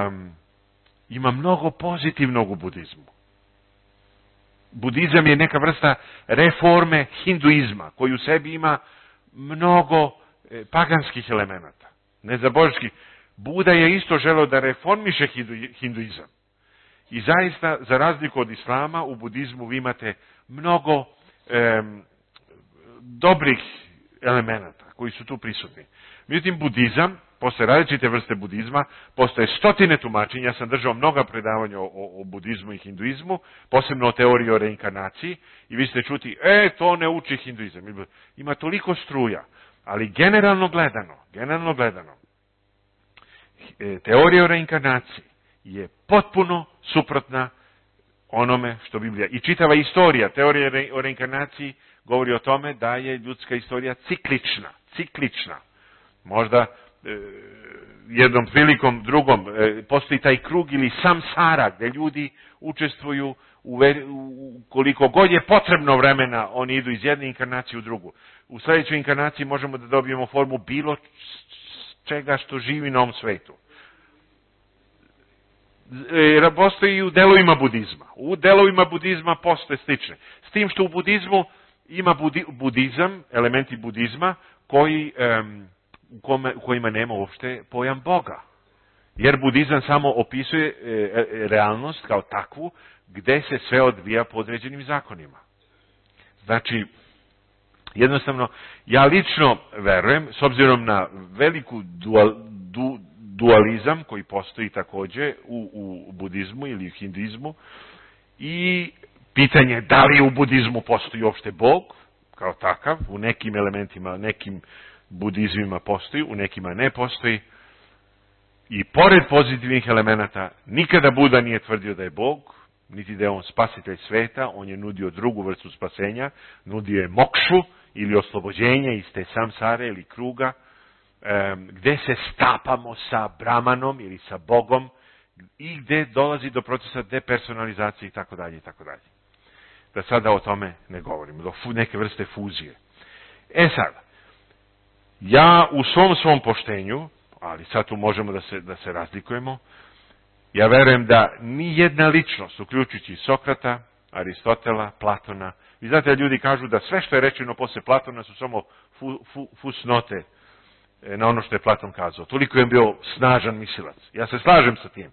[SPEAKER 1] Um, ima mnogo pozitivnog u budizmu. Budizam je neka vrsta reforme hinduizma, koji u sebi ima mnogo e, paganskih elemenata, nezabožskih. Buda je isto želeo da reformiše hindu, hinduizam. I zaista, za razliku od islama, u budizmu vi imate mnogo e, dobrih elemenata koji su tu prisutni. Međutim, budizam, postoje različite vrste budizma, postoje stotine tumačenja, ja sam držao mnoga predavanja o, o, o budizmu i hinduizmu, posebno o teoriji o reinkarnaciji, i vi ste čuti, e, to ne uči hinduizam. Ima toliko struja, ali generalno gledano, generalno gledano, teorija o reinkarnaciji je potpuno suprotna onome što Biblija. I čitava istorija, teorija o reinkarnaciji, govori o tome da je ljudska istorija ciklična, ciklična. Možda e, jednom prilikom, drugom, e, postoji taj krug ili samsara gdje ljudi učestvuju u, u koliko god je potrebno vremena, oni idu iz jedne inkarnacije u drugu. U sljedećoj inkarnaciji možemo da dobijemo formu bilo čega što živi na ovom svetu. E, postoji i u delovima budizma. U delovima budizma postoje slične. S tim što u budizmu ima budi, budizam, elementi budizma, koji, um, u, kome, u kojima nema uopšte pojam Boga. Jer budizam samo opisuje e, realnost kao takvu, gde se sve odvija po određenim zakonima. Znači, jednostavno, ja lično verujem, s obzirom na veliku dual, du, dualizam koji postoji također u, u budizmu ili u hinduizmu, i pitanje da li u budizmu postoji uopšte Bog, kao takav, u nekim elementima, nekim budizmima postoji, u nekima ne postoji. I pored pozitivnih elemenata, nikada Buda nije tvrdio da je Bog, niti da je on spasitelj sveta, on je nudio drugu vrstu spasenja, nudio je mokšu ili oslobođenje iz te samsare ili kruga, gde se stapamo sa Brahmanom ili sa Bogom i gde dolazi do procesa depersonalizacije i tako dalje i tako dalje. Da sada o tome ne govorimo, do neke vrste fuzije. E sad, ja u svom svom poštenju, ali sad tu možemo da se, da se razlikujemo, ja verujem da ni jedna ličnost, uključujući Sokrata, Aristotela, Platona, vi znate da ljudi kažu da sve što je rečeno posle Platona su samo fu, fu, fusnote na ono što je Platon kazao. Toliko je bio snažan mislilac. Ja se slažem sa tim.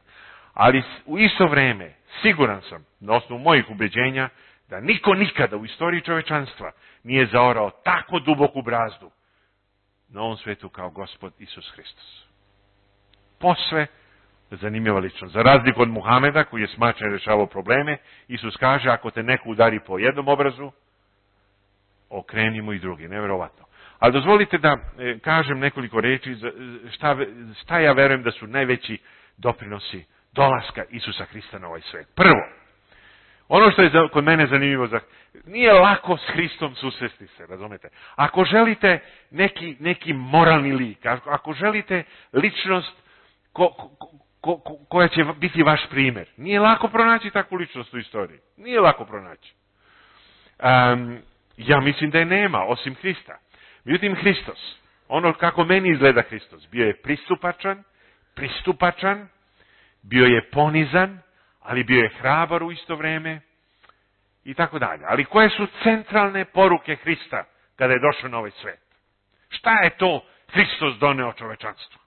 [SPEAKER 1] Ali u isto vreme, siguran sam, na osnovu mojih ubeđenja, da niko nikada u istoriji čovečanstva nije zaorao tako duboku brazdu na ovom svetu kao Gospod Isus Hristos. Posve zanimljiva ličnost. Za razliku od Muhameda, koji je smačan i rešavao probleme, Isus kaže, ako te neko udari po jednom obrazu, okreni mu i drugi. Neverovatno. Ali dozvolite da e, kažem nekoliko reči za, šta, šta ja verujem da su najveći doprinosi dolaska Isusa Hrista na ovaj svet. Prvo, ono što je za, kod mene zanimljivo, za, nije lako s Hristom susresti se, razumete? Ako želite neki, neki moralni lik, ako želite ličnost ko, ko, ko, ko, koja će biti vaš primjer, nije lako pronaći takvu ličnost u istoriji. Nije lako pronaći. Um, ja mislim da je nema, osim Hrista. Međutim, Hristos, ono kako meni izgleda Hristos, bio je pristupačan, pristupačan, bio je ponizan, ali bio je hrabar u isto vreme, i tako dalje. Ali koje su centralne poruke Hrista kada je došao na ovaj svet? Šta je to Hristos doneo čovečanstvu?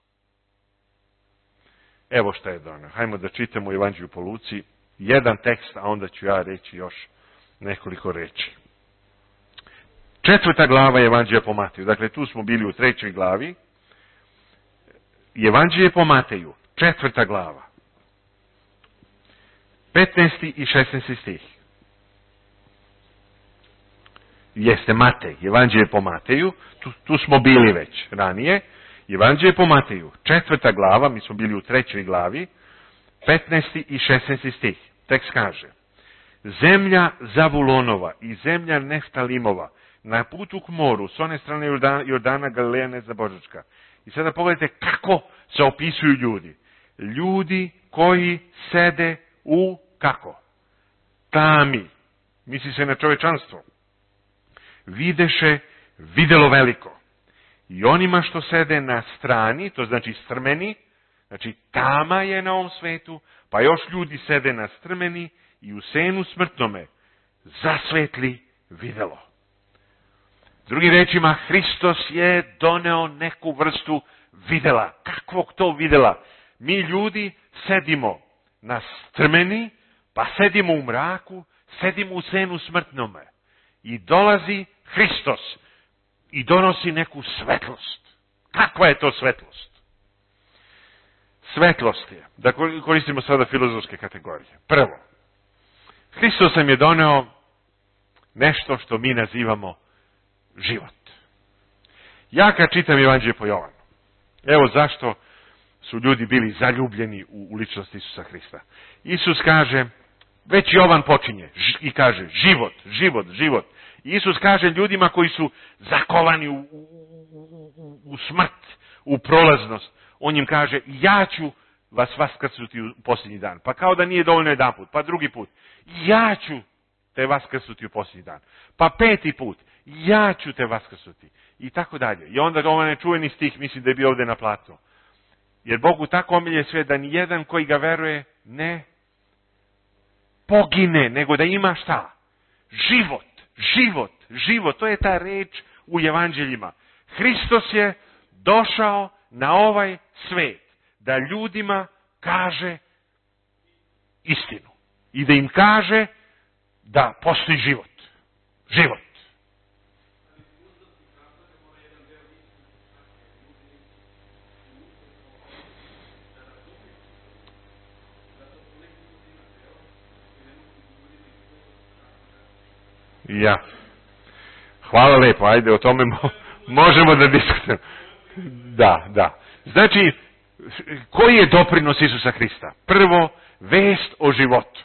[SPEAKER 1] Evo šta je doneo. Hajmo da čitamo Evanđelju po Luci. Jedan tekst, a onda ću ja reći još nekoliko reči. Četvrta glava Evanđelja po Mateju. Dakle, tu smo bili u trećoj glavi. Evanđelje po Mateju. Četvrta glava. petnaesti i šesnaesti stih. Jeste Matej. Evanđelje po Mateju. Tu, tu smo bili već ranije. Evanđelje po Mateju. Četvrta glava. Mi smo bili u trećoj glavi. petnaesti i šesnaesti stih. Tekst kaže: Zemlja Zavulonova i zemlja Neftalimova na putu k moru, s one strane Jordana, Jordana Galileja Nezabožačka. I sada pogledajte kako se opisuju ljudi. Ljudi koji sede u, kako? Tami. Misli se na čovečanstvo. Videše videlo veliko. I onima što sede na strani, to znači strmeni, znači tama je na ovom svetu, pa još ljudi sede na strmeni i u senu smrtnome zasvetli videlo. Drugim rečima, Hristos je doneo neku vrstu videla. Kakvog to videla? Mi ljudi sedimo na strmeni, pa sedimo u mraku, sedimo u senu smrtnome. I dolazi Hristos i donosi neku svetlost. Kakva je to svetlost? Svetlost je, da koristimo sada filozofske kategorije. Prvo, Hristos nam je doneo nešto što mi nazivamo život. Ja kad čitam Evanđelje po Jovanu, evo zašto su ljudi bili zaljubljeni u, u ličnost Isusa Hrista. Isus kaže, već Jovan počinje i kaže život, život, život. Isus kaže ljudima koji su zakovani u, u, u, u smrt, u prolaznost, on im kaže, ja ću vas vaskrsuti u posljednji dan. Pa kao da nije dovoljno jedan put, pa drugi put, ja ću te vaskrsuti u posljednji dan. Pa peti put, ja ću te vaskrsuti. I tako dalje. I onda ovaj nečuveni stih, mislim da je bio ovdje na platu. Jer Bogu tako omilje sve da ni jedan koji ga veruje ne pogine, nego da ima šta? Život, život, život. To je ta reč u evanđeljima. Hristos je došao na ovaj svet da ljudima kaže istinu. I da im kaže da postoji život. Život. Ja. Hvala lepo, ajde o tome mo- možemo da diskutujemo. Da, da. Znači, koji je doprinos Isusa Hrista? Prvo, vest o životu.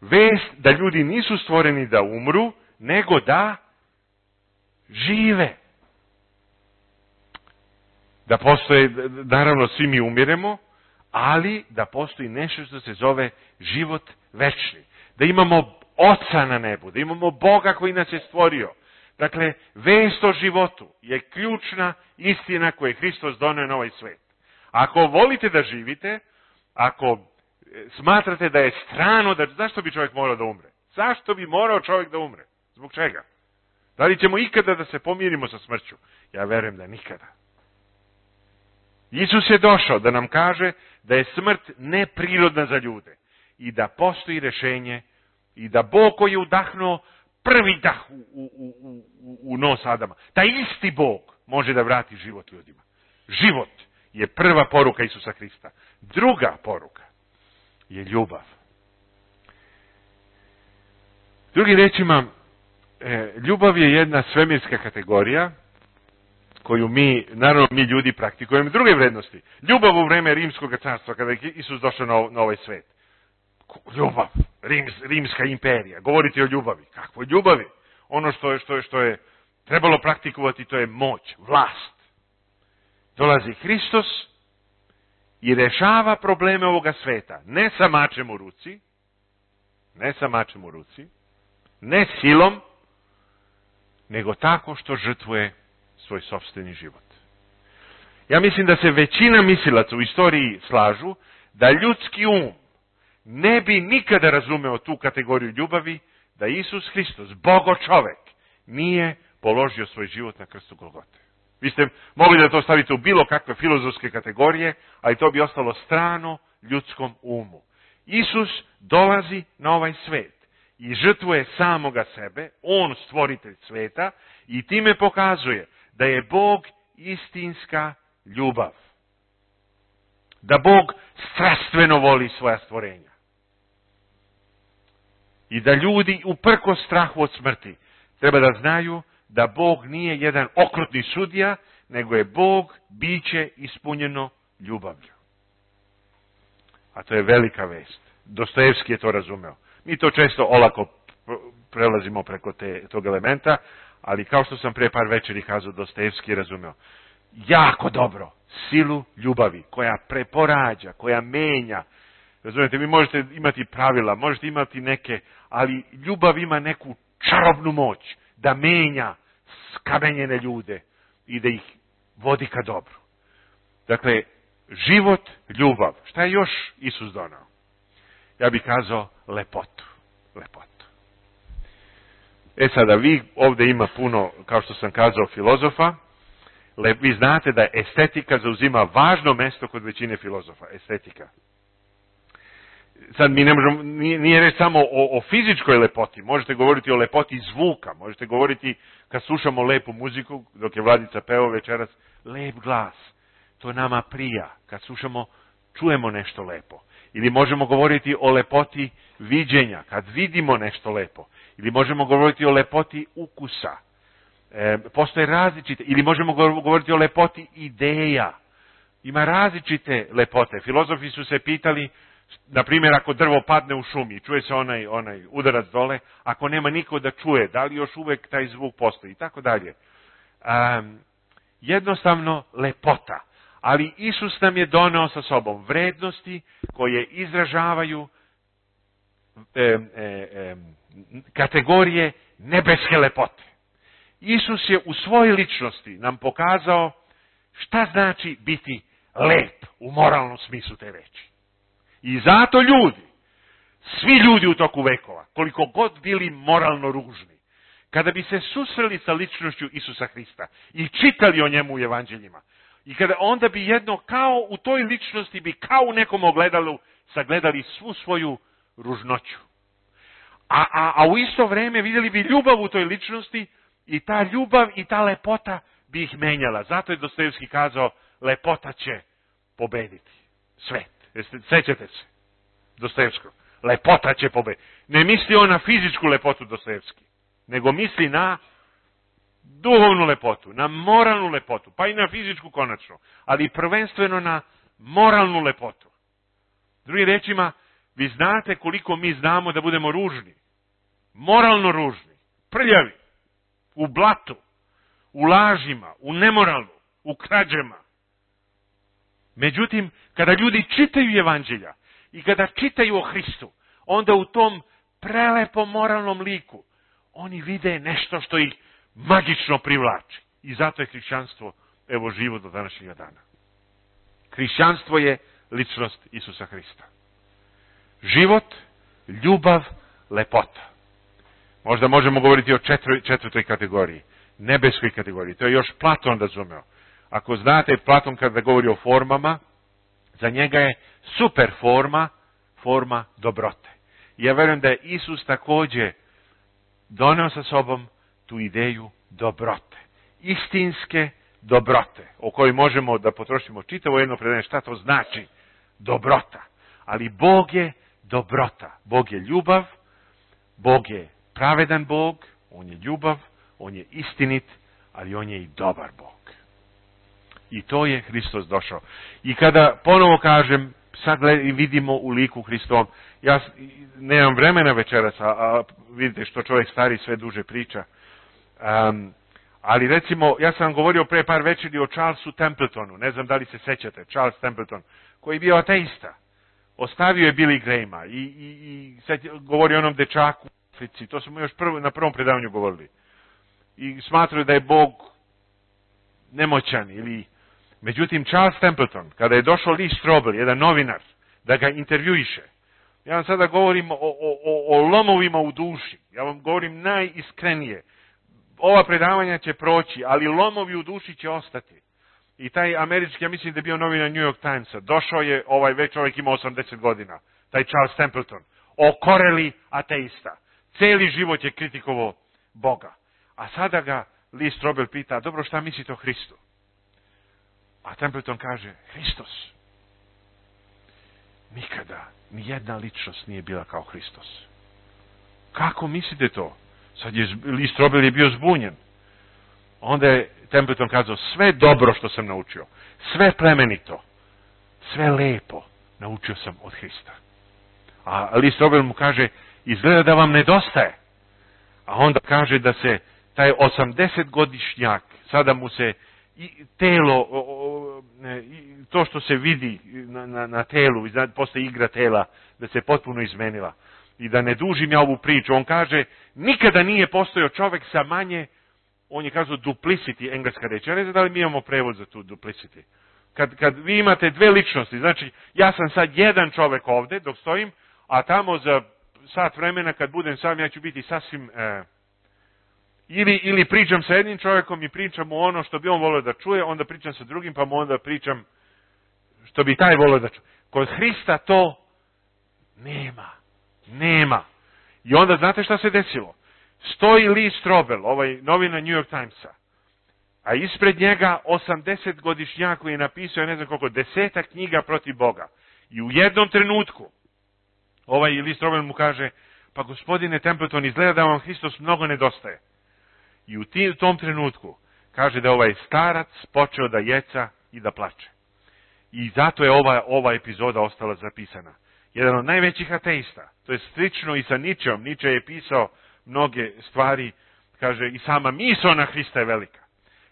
[SPEAKER 1] Vest da ljudi nisu stvoreni da umru, nego da žive. Da postoje, naravno svi mi umiremo, ali da postoji nešto što se zove život večni. Da imamo Oca na nebu, da imamo Boga koji nas je stvorio. Dakle, vest o životu je ključna istina koju je Hristos donio na ovaj svet. Ako volite da živite, ako smatrate da je strano, da, zašto bi čovjek morao da umre? Zašto bi morao čovjek da umre? Zbog čega? Da li ćemo ikada da se pomirimo sa smrću? Ja verujem da nikada. Isus je došao da nam kaže da je smrt neprirodna za ljude i da postoji rješenje i da Bog koji je udahnuo prvi dah u, u, u, u, u nos Adama, taj isti Bog može da vrati život ljudima. Život je prva poruka Isusa Hrista. Druga poruka je ljubav. Drugim rečima, ljubav je jedna svemirska kategorija koju mi, naravno mi ljudi praktikujemo. Druge vrednosti. Ljubav u vreme Rimskog carstva, kada je Isus došao na, na ovaj svet. Ljubav, Rims, Rimska imperija, govoriti o ljubavi. Kakvoj ljubavi? Ono što je, što je, što je trebalo praktikovati, to je moć, vlast. Dolazi Hristos i rešava probleme ovoga sveta. Ne sa mačem u ruci, ne sa mačem u ruci, ne silom, nego tako što žrtvuje svoj sopstveni život. Ja mislim da se većina mislilaca u istoriji slažu da ljudski um ne bi nikada razumeo tu kategoriju ljubavi da Isus Hristos, Bogo čovek, nije položio svoj život na krstu Golgote. Vi ste mogli da to stavite u bilo kakve filozofske kategorije, ali to bi ostalo strano ljudskom umu. Isus dolazi na ovaj svet i žrtvuje samoga sebe, on stvoritelj sveta, i time pokazuje da je Bog istinska ljubav. Da Bog strastveno voli svoja stvorenja. I da ljudi uprkos strahu od smrti treba da znaju da Bog nije jedan okrutni sudija, nego je Bog biće ispunjeno ljubavlju. A to je velika vest. Dostojevski je to razumeo. Mi to često olako prelazimo preko te, tog elementa, ali kao što sam pre par večeri kazao, Dostojevski je razumeo jako dobro silu ljubavi koja preporađa, koja menja. Razumijete, vi možete imati pravila, možete imati neke, ali ljubav ima neku čarobnu moć da menja skamenjene ljude i da ih vodi ka dobru. Dakle, život, ljubav. Šta je još Isus donao? Ja bih kazao lepotu. Lepotu. E sada, vi ovdje ima puno, kao što sam kazao, filozofa. Le, vi znate da estetika zauzima važno mesto kod većine filozofa. Estetika. Sad mi ne možemo, nije, nije reći samo o, o fizičkoj lepoti. Možete govoriti o lepoti zvuka. Možete govoriti kad slušamo lepu muziku, dok je Vladica peo večeras, lep glas. To nama prija. Kad slušamo, čujemo nešto lepo. Ili možemo govoriti o lepoti viđenja, kad vidimo nešto lepo. Ili možemo govoriti o lepoti ukusa. E, postoje različite, ili možemo govoriti o lepoti ideja. Ima različite lepote. Filozofi su se pitali, na primjer, ako drvo padne u šumi, čuje se onaj, onaj udarac dole, ako nema niko da čuje, da li još uvek taj zvuk postoji, i tako dalje. Um, jednostavno lepota. Ali Isus nam je doneo sa sobom vrednosti koje izražavaju e, e, e, kategorije nebeske lepote. Isus je u svojoj ličnosti nam pokazao šta znači biti lep u moralnom smislu te reči. I zato ljudi, svi ljudi u toku vekova, koliko god bili moralno ružni, kada bi se susreli sa ličnošću Isusa Hrista i čitali o njemu u evanđeljima, i kada onda bi jedno kao u toj ličnosti bi kao u nekom ogledalu sagledali svu svoju ružnoću. A, a, a u isto vrijeme vidjeli bi ljubav u toj ličnosti i ta ljubav i ta lepota bi ih menjala. Zato je Dostojevski kazao, lepota će pobediti svet. Jeste, sećate se Dostojevskog? Lepota će pobediti. Ne misli on na fizičku lepotu Dostojevski, nego misli na duhovnu lepotu, na moralnu lepotu, pa i na fizičku konačno, ali prvenstveno na moralnu lepotu. Drugim rečima, vi znate koliko mi znamo da budemo ružni, moralno ružni, prljavi, u blatu, u lažima, u nemoralu, u krađama. Međutim, kada ljudi čitaju evanđelja i kada čitaju o Hristu, onda u tom prelepom moralnom liku oni vide nešto što ih magično privlači. I zato je hrišćanstvo, evo, živo do današnjega dana. Hrišćanstvo je ličnost Isusa Hrista. Život, ljubav, lepota. Možda možemo govoriti o četvr, četvrtoj kategoriji, nebeskoj kategoriji. To je još Platon razumeo. Ako znate, Platon kada govori o formama, za njega je super forma, forma dobrote. I ja verujem da je Isus također doneo sa sobom tu ideju dobrote. Istinske dobrote, o kojoj možemo da potrošimo čitavo jedno predanje šta to znači dobrota. Ali Bog je dobrota. Bog je ljubav, Bog je pravedan Bog, on je ljubav, on je istinit, ali on je i dobar Bog. I to je Hristos došao. I kada ponovo kažem, sad vidimo u liku Hristovom, ja nemam vremena večeras, a, a vidite što čovjek stari sve duže priča. Um, ali recimo, ja sam govorio pre par večeri o Charlesu Templetonu, ne znam da li se sećate, Charles Templeton, koji je bio ateista. Ostavio je Billy Grahama i, i, i sad govori o onom dečaku u Africi, to smo još prvo, na prvom predavanju govorili. I smatraju da je Bog nemoćan ili... Međutim, Charles Templeton, kada je došao Lee Strobel, jedan novinar, da ga intervjuiše, Ja vam sada govorim o, o, o, o lomovima u duši. Ja vam govorim najiskrenije. Ova predavanja će proći, ali lomovi u duši će ostati. I taj američki, ja mislim da je bio novina New York Timesa, došao je, ovaj već čovjek ima osamdeset godina, taj Charles Templeton, okoreli ateista. Cijeli život je kritikovao Boga. A sada ga Lee Strobel pita, dobro, šta mislite o Hristu? A Templeton kaže, Hristos. Nikada nijedna ličnost nije bila kao Hristos. Kako mislite to? Sad je Lee Strobel je bio zbunjen. Onda je Templeton kazao, sve dobro što sam naučio, sve plemenito, sve lepo naučio sam od Hrista. A Lee Strobel mu kaže, izgleda da vam nedostaje. A onda kaže da se taj osamdesetgodišnjak, sada mu se i telo, o, o, ne, to što se vidi na, na, na telu, posle igra tela, da se potpuno izmenila. I da ne dužim ja ovu priču, on kaže, nikada nije postojao čovjek sa manje, on je kazao duplicity, engleska reč. Ja ne znam da li mi imamo prevod za tu duplicity. Kad, kad vi imate dve ličnosti, znači ja sam sad jedan čovjek ovdje dok stojim, a tamo za sat vremena kad budem sam ja ću biti sasvim... E, ili, ili pričam sa jednim čovjekom i pričam mu ono što bi on volio da čuje, onda pričam sa drugim pa mu onda pričam što bi taj volio da čuje. Kod Hrista to nema. Nema. I onda znate šta se desilo? Stoji Lee Strobel, ovaj novina New York Timesa, a ispred njega osamdesetgodišnjak koji je napisao, ne znam koliko, desetak knjiga protiv Boga. I u jednom trenutku, ovaj Lee Strobel mu kaže, pa gospodine Templeton, izgleda da vam Hristos mnogo nedostaje. I u tim, tom trenutku kaže da ovaj starac počeo da jeca i da plače. I zato je ova, ova epizoda ostala zapisana. Jedan od najvećih ateista, to je slično i sa Ničeom, Niče je pisao mnoge stvari, kaže i sama misao na Hrista je velika.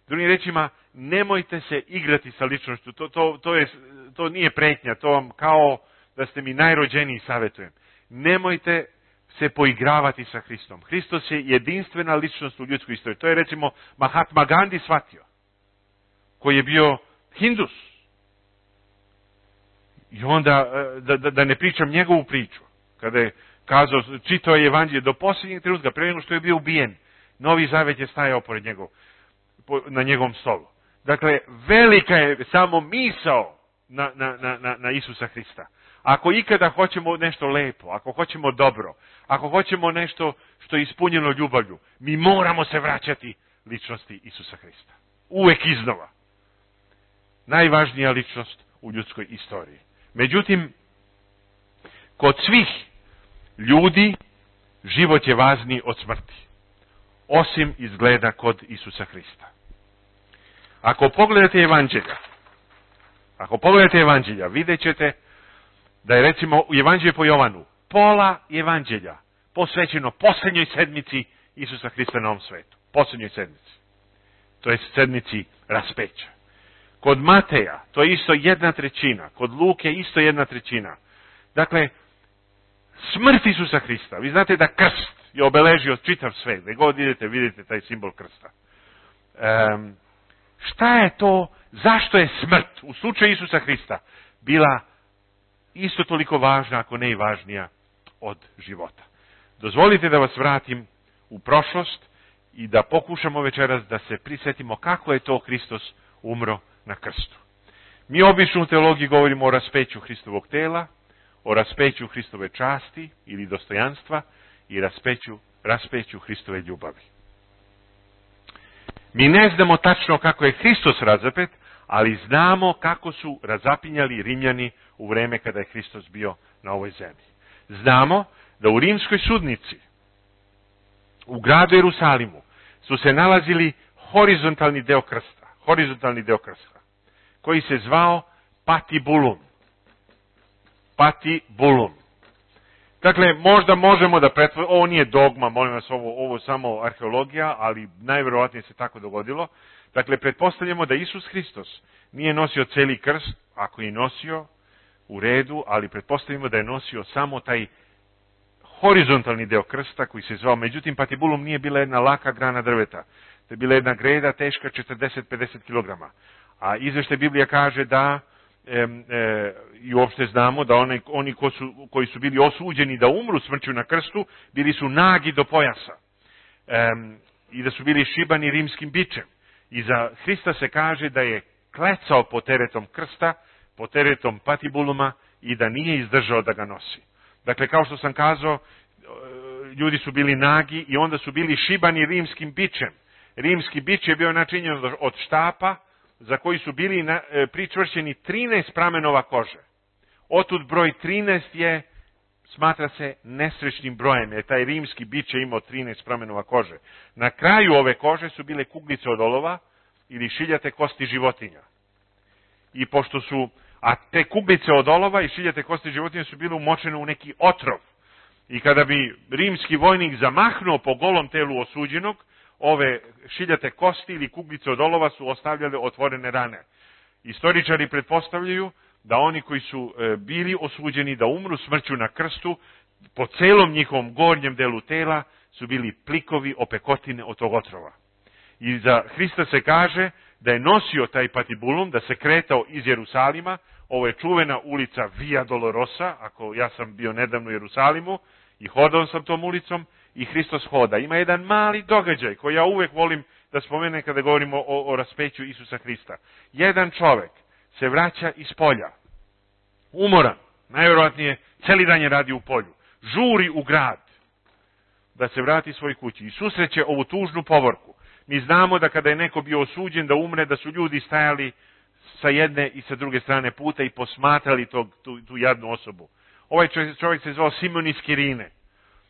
[SPEAKER 1] Drugim rečima, nemojte se igrati sa ličnošću, to, to, to, je, to nije pretnja, to vam kao da ste mi najrođeniji savjetujem. Nemojte se poigravati sa Hristom. Hristos je jedinstvena ličnost u ljudskoj istoriji. To je recimo Mahatma Gandhi shvatio, koji je bio Hindus. I onda, da, da, da ne pričam njegovu priču, kada je kazao, čitao je evanđelje do posljednjeg trenutka, prije nego što je bio ubijen, Novi Zavet je stajao pored njegov, na njegovom stolu. Dakle, velika je samo misao na, na, na, na Isusa Hrista. Ako ikada hoćemo nešto lepo, ako hoćemo dobro, ako hoćemo nešto što je ispunjeno ljubavlju, mi moramo se vraćati ličnosti Isusa Hrista. Uvek iznova. Najvažnija ličnost u ljudskoj istoriji. Međutim, kod svih ljudi život je važniji od smrti. Osim izgleda kod Isusa Hrista. Ako pogledate evanđelja, ako pogledate evanđelja, vidjet ćete da je recimo u evanđelju po Jovanu pola evanđelja posvećeno posljednjoj sedmici Isusa Hrista na ovom svetu. Posljednjoj sedmici. To je sedmici raspeća. Kod Mateja to je isto jedna trećina. Kod Luke isto jedna trećina. Dakle, smrt Isusa Hrista. Vi znate da krst je obeležio čitav svet. Gdje god idete, vidite taj simbol krsta. Um, šta je to? Zašto je smrt u slučaju Isusa Hrista bila isto toliko važna, ako ne i važnija od života? Dozvolite da vas vratim u prošlost i da pokušamo večeras da se prisjetimo kako je to Hristos umro na krstu. Mi obično u teologiji govorimo o raspeću Hristovog tela, o raspeću Hristove časti ili dostojanstva i raspeću, raspeću Hristove ljubavi. Mi ne znamo tačno kako je Hristos razapet, ali znamo kako su razapinjali Rimljani u vreme kada je Hristos bio na ovoj zemlji. Znamo da u rimskoj sudnici, u gradu Jerusalimu, su se nalazili horizontalni deo krsta, horizontalni deo krsta, koji se zvao patibulum. Patibulum. Dakle, možda možemo da pretvorimo, ovo nije dogma, molim vas, ovo, ovo samo arheologija, ali najvjerovatnije se tako dogodilo. Dakle, pretpostavljamo da Isus Hristos nije nosio celi krst, ako je nosio, u redu, ali pretpostavimo da je nosio samo taj horizontalni deo krsta koji se zvao, međutim, patibulum nije bila jedna laka grana drveta. To je bila jedna greda teška četrdeset do pedeset kilograma. A izveštaj Biblija kaže da e, e, i uopšte znamo da one, oni ko su, koji su bili osuđeni da umru smrću na krstu, bili su nagi do pojasa. E, I da su bili šibani rimskim bičem. I za Hrista se kaže da je klecao pod teretom krsta, pod teretom patibuluma i da nije izdržao da ga nosi. Dakle, kao što sam kazao, ljudi su bili nagi i onda su bili šibani rimskim bičem. Rimski bič je bio načinjen od štapa za koji su bili na, e, pričvršćeni trinaest pramenova kože. Otud broj trinaest je, smatra se, nesrećnim brojem, jer taj rimski bič je imao trinaest pramenova kože. Na kraju ove kože su bile kuglice od olova ili šiljate kosti životinja. I pošto su, a te kuglice od olova i šiljate kosti životinja su bile umočene u neki otrov. I kada bi rimski vojnik zamahnuo po golom telu osuđenog, ove šiljate kosti ili kuglice od olova su ostavljale otvorene rane. Istoričari pretpostavljaju da oni koji su e, bili osuđeni da umru smrću na krstu, po celom njihovom gornjem delu tela su bili plikovi opekotine od tog otrova. I za Hrista se kaže da je nosio taj patibulum, da se kretao iz Jerusalima. Ovo je čuvena ulica Via Dolorosa, ako ja sam bio nedavno u Jerusalimu i hodao sam tom ulicom i Hristos hoda. Ima jedan mali događaj koji ja uvek volim da spomenem kada govorimo o, o raspeću Isusa Hrista. Jedan čovek se vraća iz polja, umoran, najvjerojatnije celi dan je radi u polju, žuri u grad da se vrati svoj kući i susreće ovu tužnu povorku. Mi znamo da kada je neko bio osuđen da umre, da su ljudi stajali sa jedne i sa druge strane puta i posmatrali tog, tu, tu jadnu osobu. Ovaj čovjek se zvao Simon iz Kirine.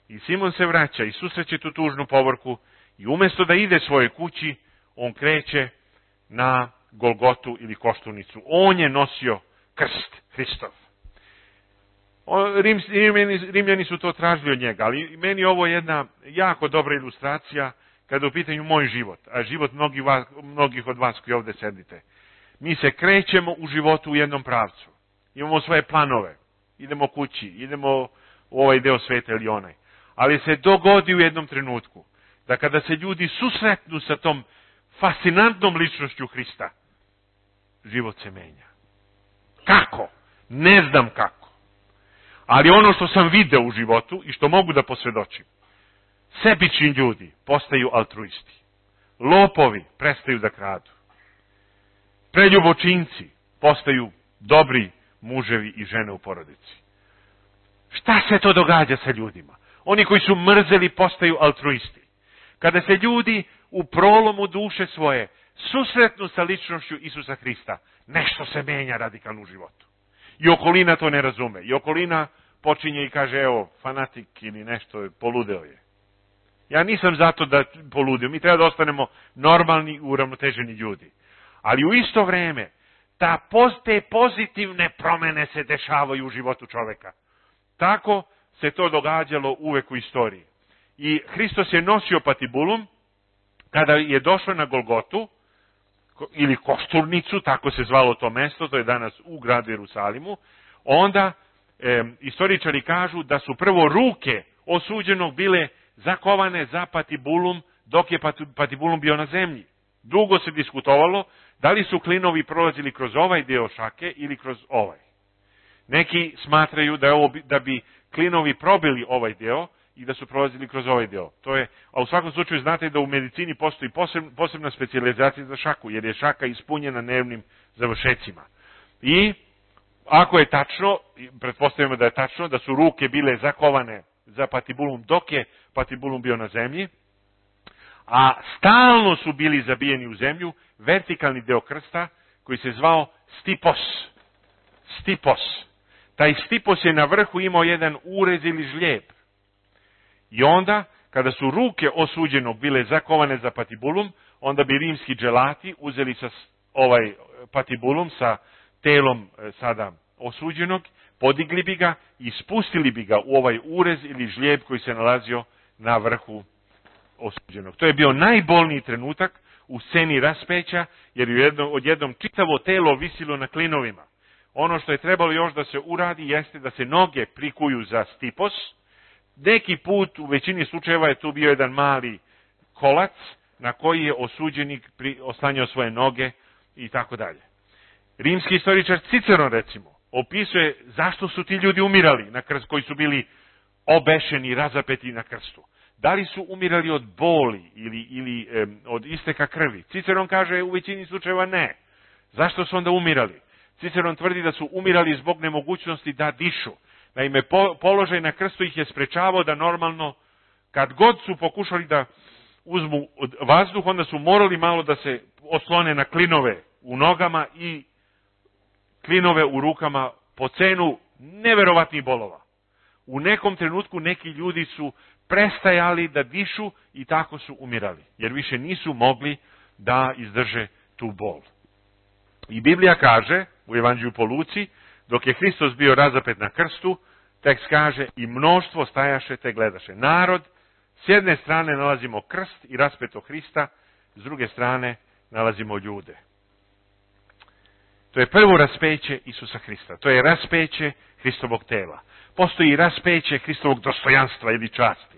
[SPEAKER 1] I Simon se vraća i susreće tu tužnu povorku i umjesto da ide svoje kući, on kreće na Golgotu ili Koštunicu. On je nosio krst Hristov. Rim, Rimljani, Rimljani su to tražili od njega, ali meni ovo je jedna jako dobra ilustracija kada je u pitanju moj život, a život mnogih, vas, mnogih od vas koji ovdje sedite. Mi se krećemo u životu u jednom pravcu. Imamo svoje planove. Idemo kući, idemo u ovaj deo sveta ili onaj. Ali se dogodi u jednom trenutku da kada se ljudi susretnu sa tom fascinantnom ličnošću Hrista, život se menja. Kako? Ne znam kako. Ali ono što sam video u životu i što mogu da posvjedočim, sebični ljudi postaju altruisti. Lopovi prestaju da kradu. Preljubočinci postaju dobri muževi i žene u porodici. Šta se to događa sa ljudima? Oni koji su mrzeli postaju altruisti. Kada se ljudi u prolomu duše svoje susretnu sa ličnošću Isusa Hrista, nešto se menja radikalno u životu. I okolina to ne razume. I okolina počinje i kaže, evo, fanatik ili nešto, poludeo je. Ja nisam zato da poludio. Mi treba da ostanemo normalni, uravnoteženi ljudi. Ali u isto vreme, ta, te pozitivne promene se dešavaju u životu čoveka. Tako se to događalo uvek u istoriji. I Hristos je nosio patibulum kada je došao na Golgotu, ili Košturnicu, tako se zvalo to mesto, to je danas u gradu Jerusalimu, onda e, istoričari kažu da su prvo ruke osuđenog bile zakovane za patibulum, dok je patibulum bio na zemlji. Dugo se diskutovalo da li su klinovi prolazili kroz ovaj deo šake ili kroz ovaj. Neki smatraju da, je ovo, da bi klinovi probili ovaj deo i da su prolazili kroz ovaj deo. To je, a u svakom slučaju znate da u medicini postoji posebna, posebna specijalizacija za šaku, jer je šaka ispunjena nervnim završecima. I ako je tačno, pretpostavljamo da je tačno, da su ruke bile zakovane za patibulum dok je patibulum bio na zemlji, a stalno su bili zabijeni u zemlju, vertikalni deo krsta koji se zvao stipos. Stipos. Taj stipos je na vrhu imao jedan urez ili žlijeb. I onda, kada su ruke osuđenog bile zakovane za patibulum, onda bi rimski dželati uzeli sa ovaj patibulum sa telom sada osuđenog, podigli bi ga i spustili bi ga u ovaj urez ili žlijeb koji se nalazio na vrhu osuđenog. To je bio najbolniji trenutak u sceni raspeća, jer je jedno, odjednom čitavo telo visilo na klinovima. Ono što je trebalo još da se uradi jeste da se noge prikuju za stipos. Neki put, u većini slučajeva je tu bio jedan mali kolac na koji je osuđenik oslanjao svoje noge i tako dalje. Rimski istoričar Ciceron, recimo, opisuje zašto su ti ljudi umirali na krst, koji su bili obešeni, razapeti na krstu. Da li su umirali od boli ili, ili e, od isteka krvi? Ciceron kaže u većini slučajeva ne. Zašto su onda umirali? Ciceron tvrdi da su umirali zbog nemogućnosti da dišu. Naime, po, položaj na krstu ih je sprečavao da normalno, kad god su pokušali da uzmu vazduh, onda su morali malo da se oslone na klinove u nogama i klinove u rukama po cenu neverovatnih bolova. U nekom trenutku neki ljudi su prestajali da dišu i tako su umirali, jer više nisu mogli da izdrže tu bol. I Biblija kaže u Evanđelju po Luci, dok je Hristos bio razapet na krstu, tekst kaže i mnoštvo stajaše te gledaše. Narod, s jedne strane nalazimo krst i raspeto Hrista, s druge strane nalazimo ljude. To je prvo raspeće Isusa Hrista. To je raspeće Hristovog tela. Postoji raspeće Hristovog dostojanstva ili časti.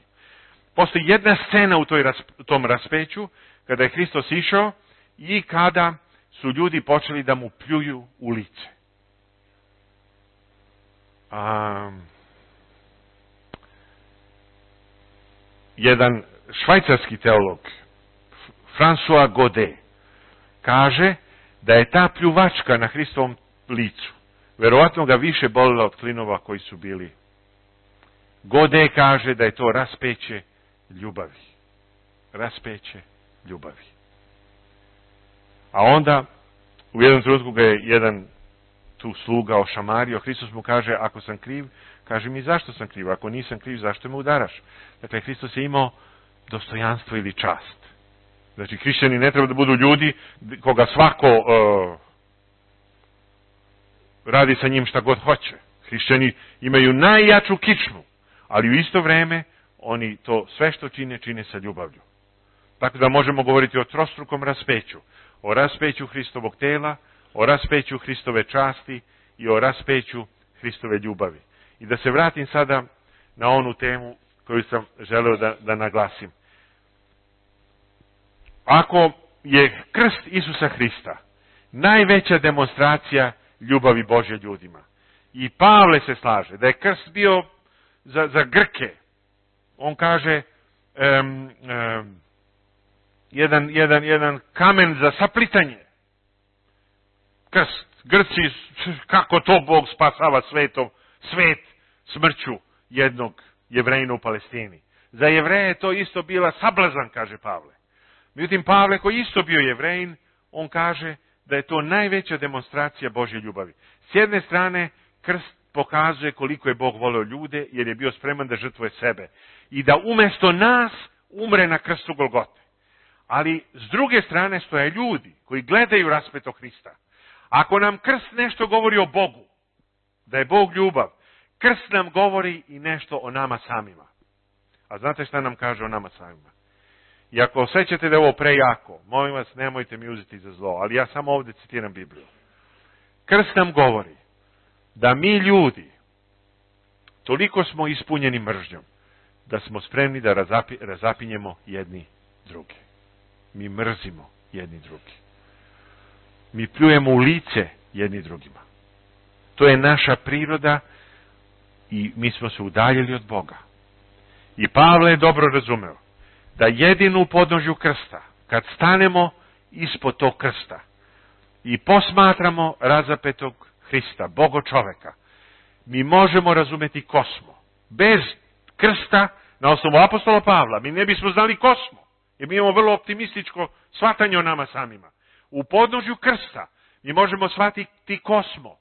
[SPEAKER 1] Postoji jedna scena u toj, tom raspeću, kada je Hristos išao i kada su ljudi počeli da mu pljuju u lice. A, jedan švajcarski teolog, François Godet, kaže da je ta pljuvačka na Hristovom licu verovatno ga više bolila od klinova koji su bili. Godet kaže da je to raspeće ljubavi. Raspeće ljubavi. A onda, u jednom trenutku ga je jedan tu sluga ošamario, Hristos mu kaže, ako sam kriv, kaže mi zašto sam kriv, ako nisam kriv, zašto me udaraš? Dakle, Hristos je imao dostojanstvo ili čast. Znači, hrišćani ne treba da budu ljudi koga svako uh, radi sa njim šta god hoće. Hrišćani imaju najjaču kičmu, ali u isto vreme oni to sve što čine, čine sa ljubavlju. Tako da možemo govoriti o trostrukom raspeću. O raspeću Hristovog tela, o raspeću Hristove časti i o raspeću Hristove ljubavi. I da se vratim sada na onu temu koju sam želeo da, da naglasim. Ako je krst Isusa Hrista najveća demonstracija ljubavi Božje ljudima, i Pavle se slaže da je krst bio za, za Grke, on kaže um, um, jedan, jedan, jedan kamen za saplitanje. Krst. Grci, kako to Bog spasava svetom, svet smrću jednog Jevrejina u Palestini. Za Jevreje je to isto bila sablazan, kaže Pavle. Međutim, Pavle, koji isto bio Jevrejin, on kaže da je to najveća demonstracija Božje ljubavi. S jedne strane, krst pokazuje koliko je Bog voleo ljude, jer je bio spreman da žrtvuje sebe. I da umjesto nas umre na krstu Golgote. Ali s druge strane stoje ljudi koji gledaju raspeto Hrista. Ako nam krst nešto govori o Bogu, da je Bog ljubav, krst nam govori i nešto o nama samima. A znate šta nam kaže o nama samima? I ako osjećate da je ovo prejako, molim vas, nemojte mi uzeti za zlo, ali ja samo ovdje citiram Bibliju. Krst nam govori da mi ljudi toliko smo ispunjeni mržnjom, da smo spremni da razapi, razapinjemo jedni drugi. Mi mrzimo jedni drugi. Mi pljujemo u lice jedni drugima. To je naša priroda i mi smo se udaljili od Boga. I Pavle je dobro razumeo da jedino u podnožju krsta, kad stanemo ispod tog krsta i posmatramo razapetog Hrista, Bogo čoveka, mi možemo razumeti ko smo. Bez krsta, na osnovu apostola Pavla, mi ne bismo znali ko smo, jer mi imamo vrlo optimističko shvatanje o nama samima. U podnožju krsta mi možemo shvatiti ko smo.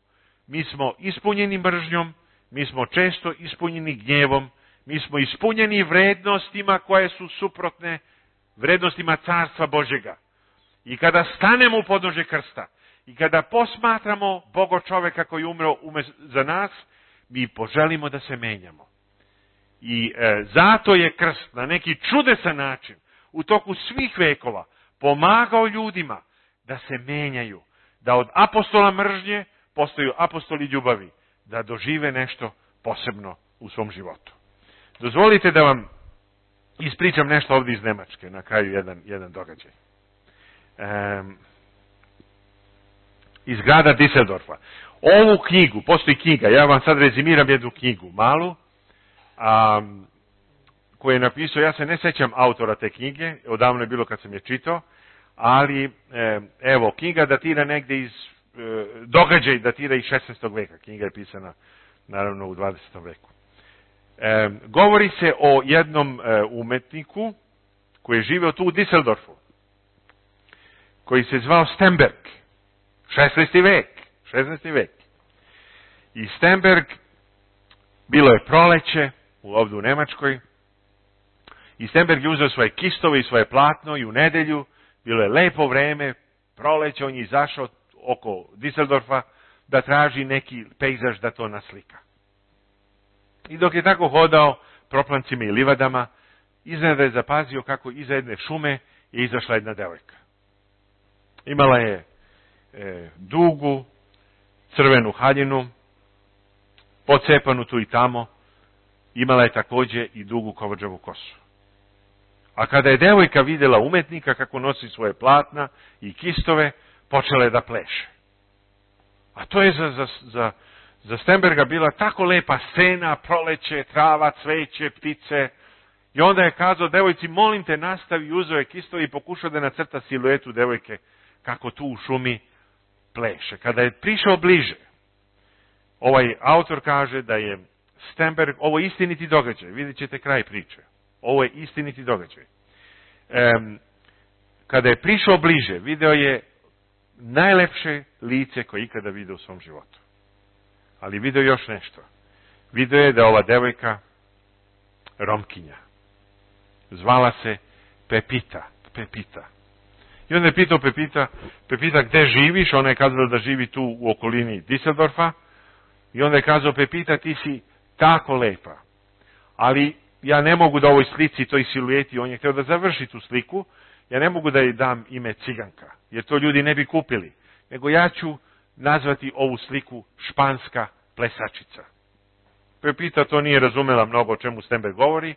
[SPEAKER 1] Mi smo ispunjeni mržnjom, mi smo često ispunjeni gnjevom, mi smo ispunjeni vrednostima koje su suprotne vrednostima Carstva Božjega. I kada stanemo u podnožje krsta i kada posmatramo Bogo čoveka koji umro za nas, mi poželimo da se menjamo. I e, zato je krst na neki čudesan način u toku svih vekova pomagao ljudima da se menjaju, da od apostola mržnje postaju apostoli ljubavi, da dožive nešto posebno u svom životu. Dozvolite da vam ispričam nešto ovdje iz Nemačke, na kraju jedan, jedan događaj. Um, iz grada Düsseldorfa. Ovu knjigu, postoji knjiga, ja vam sad rezimiram jednu knjigu, malu, a, koju je napisao, ja se ne sećam autora te knjige, odavno je bilo kad sam je čitao, ali e, evo, knjiga datira negde iz, e, događaj datira iz šesnaestog veka, knjiga je pisana naravno u dvadesetom veku. E, govori se o jednom e, umetniku koji je živio tu u Düsseldorfu, koji se zvao Stenberg, šesnaesti vek, šesnaesti vek. I Stenberg, bilo je proleće, ovdje u Nemačkoj, i Stenberg je uzeo svoje kistove i svoje platno i u nedelju, bilo je lepo vreme, proleće, on je izašao oko Düsseldorfa da traži neki pejzaž da to naslika. I dok je tako hodao proplancima i livadama, iznenada je zapazio kako iza jedne šume je izašla jedna devojka. Imala je e, dugu, crvenu haljinu, pocepanu tu i tamo, imala je također i dugu kovrđavu kosu. A kada je devojka vidjela umetnika kako nosi svoje platna i kistove, počela je da pleše. A to je za, za, za, za Stenberga bila tako lepa scena, proleće, trava, cveće, ptice. I onda je kazao devojci, molim te nastavi, uzeo je kistove i pokušao da nacrta siluetu devojke kako tu u šumi pleše. Kada je prišao bliže, ovaj autor kaže da je Stenberg, ovo je istiniti događaj, vidjet ćete kraj priče. Ovo je istiniti događaj. E, kada je prišao bliže, video je najlepše lice koje ikada vidio u svom životu. Ali video još nešto. Video je da ova devojka Romkinja. Zvala se Pepita. Pepita. I onda je pitao Pepita, Pepita, gde živiš? Ona je kazala da živi tu u okolini Düsseldorfa. I onda je kazao, Pepita, ti si tako lepa. Ali ja ne mogu da ovoj slici, toj silueti, on je htio da završi tu sliku, ja ne mogu da joj dam ime Ciganka, jer to ljudi ne bi kupili. Nego ja ću nazvati ovu sliku španska plesačica. Pepita to nije razumela mnogo o čemu Stenberg govori,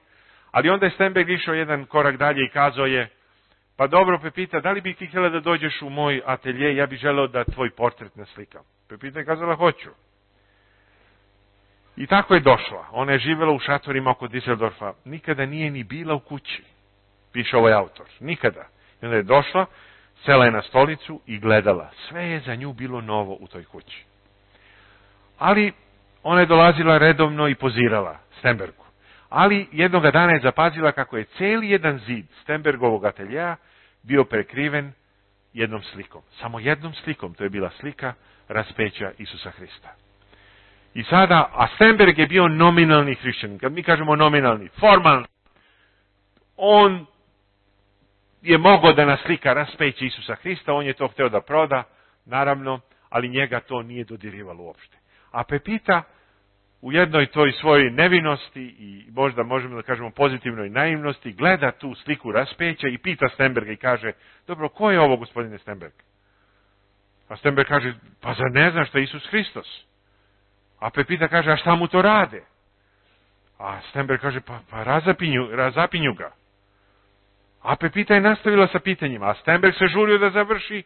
[SPEAKER 1] ali onda je Stenberg išao jedan korak dalje i kazao je, pa dobro Pepita, da li bi ti htjela da dođeš u moj atelje, ja bih želeo da tvoj portret naslikam. Pepita je kazala, hoću. I tako je došla. Ona je živjela u šatorima oko Düsseldorfa. Nikada nije ni bila u kući, piše ovaj autor. Nikada. I onda je došla, sela je na stolicu i gledala. Sve je za nju bilo novo u toj kući. Ali ona je dolazila redovno i pozirala Stenbergu. Ali jednoga dana je zapazila kako je cijeli jedan zid Stenbergovog ateljeja bio prekriven jednom slikom. Samo jednom slikom. To je bila slika raspeća Isusa Hrista. I sada, a Stenberg je bio nominalni hrišćanin. Kad mi kažemo nominalni, formalni, on je mogao da naslika raspeće Isusa Hrista, on je to hteo da proda, naravno, ali njega to nije dodirivalo uopšte. A Pepita u jednoj toj svojoj nevinosti i možda možemo da kažemo pozitivnoj naivnosti gleda tu sliku raspeća i pita Stenberga i kaže, dobro, ko je ovo, gospodine Stenberg? A Stenberg kaže, pa zar ne znaš što je Isus Hristos? A Pepita kaže, a šta mu to rade? A Stenberg kaže, pa, pa razapinju, razapinju ga. A Pepita je nastavila sa pitanjima, a Stenberg se žurio da završi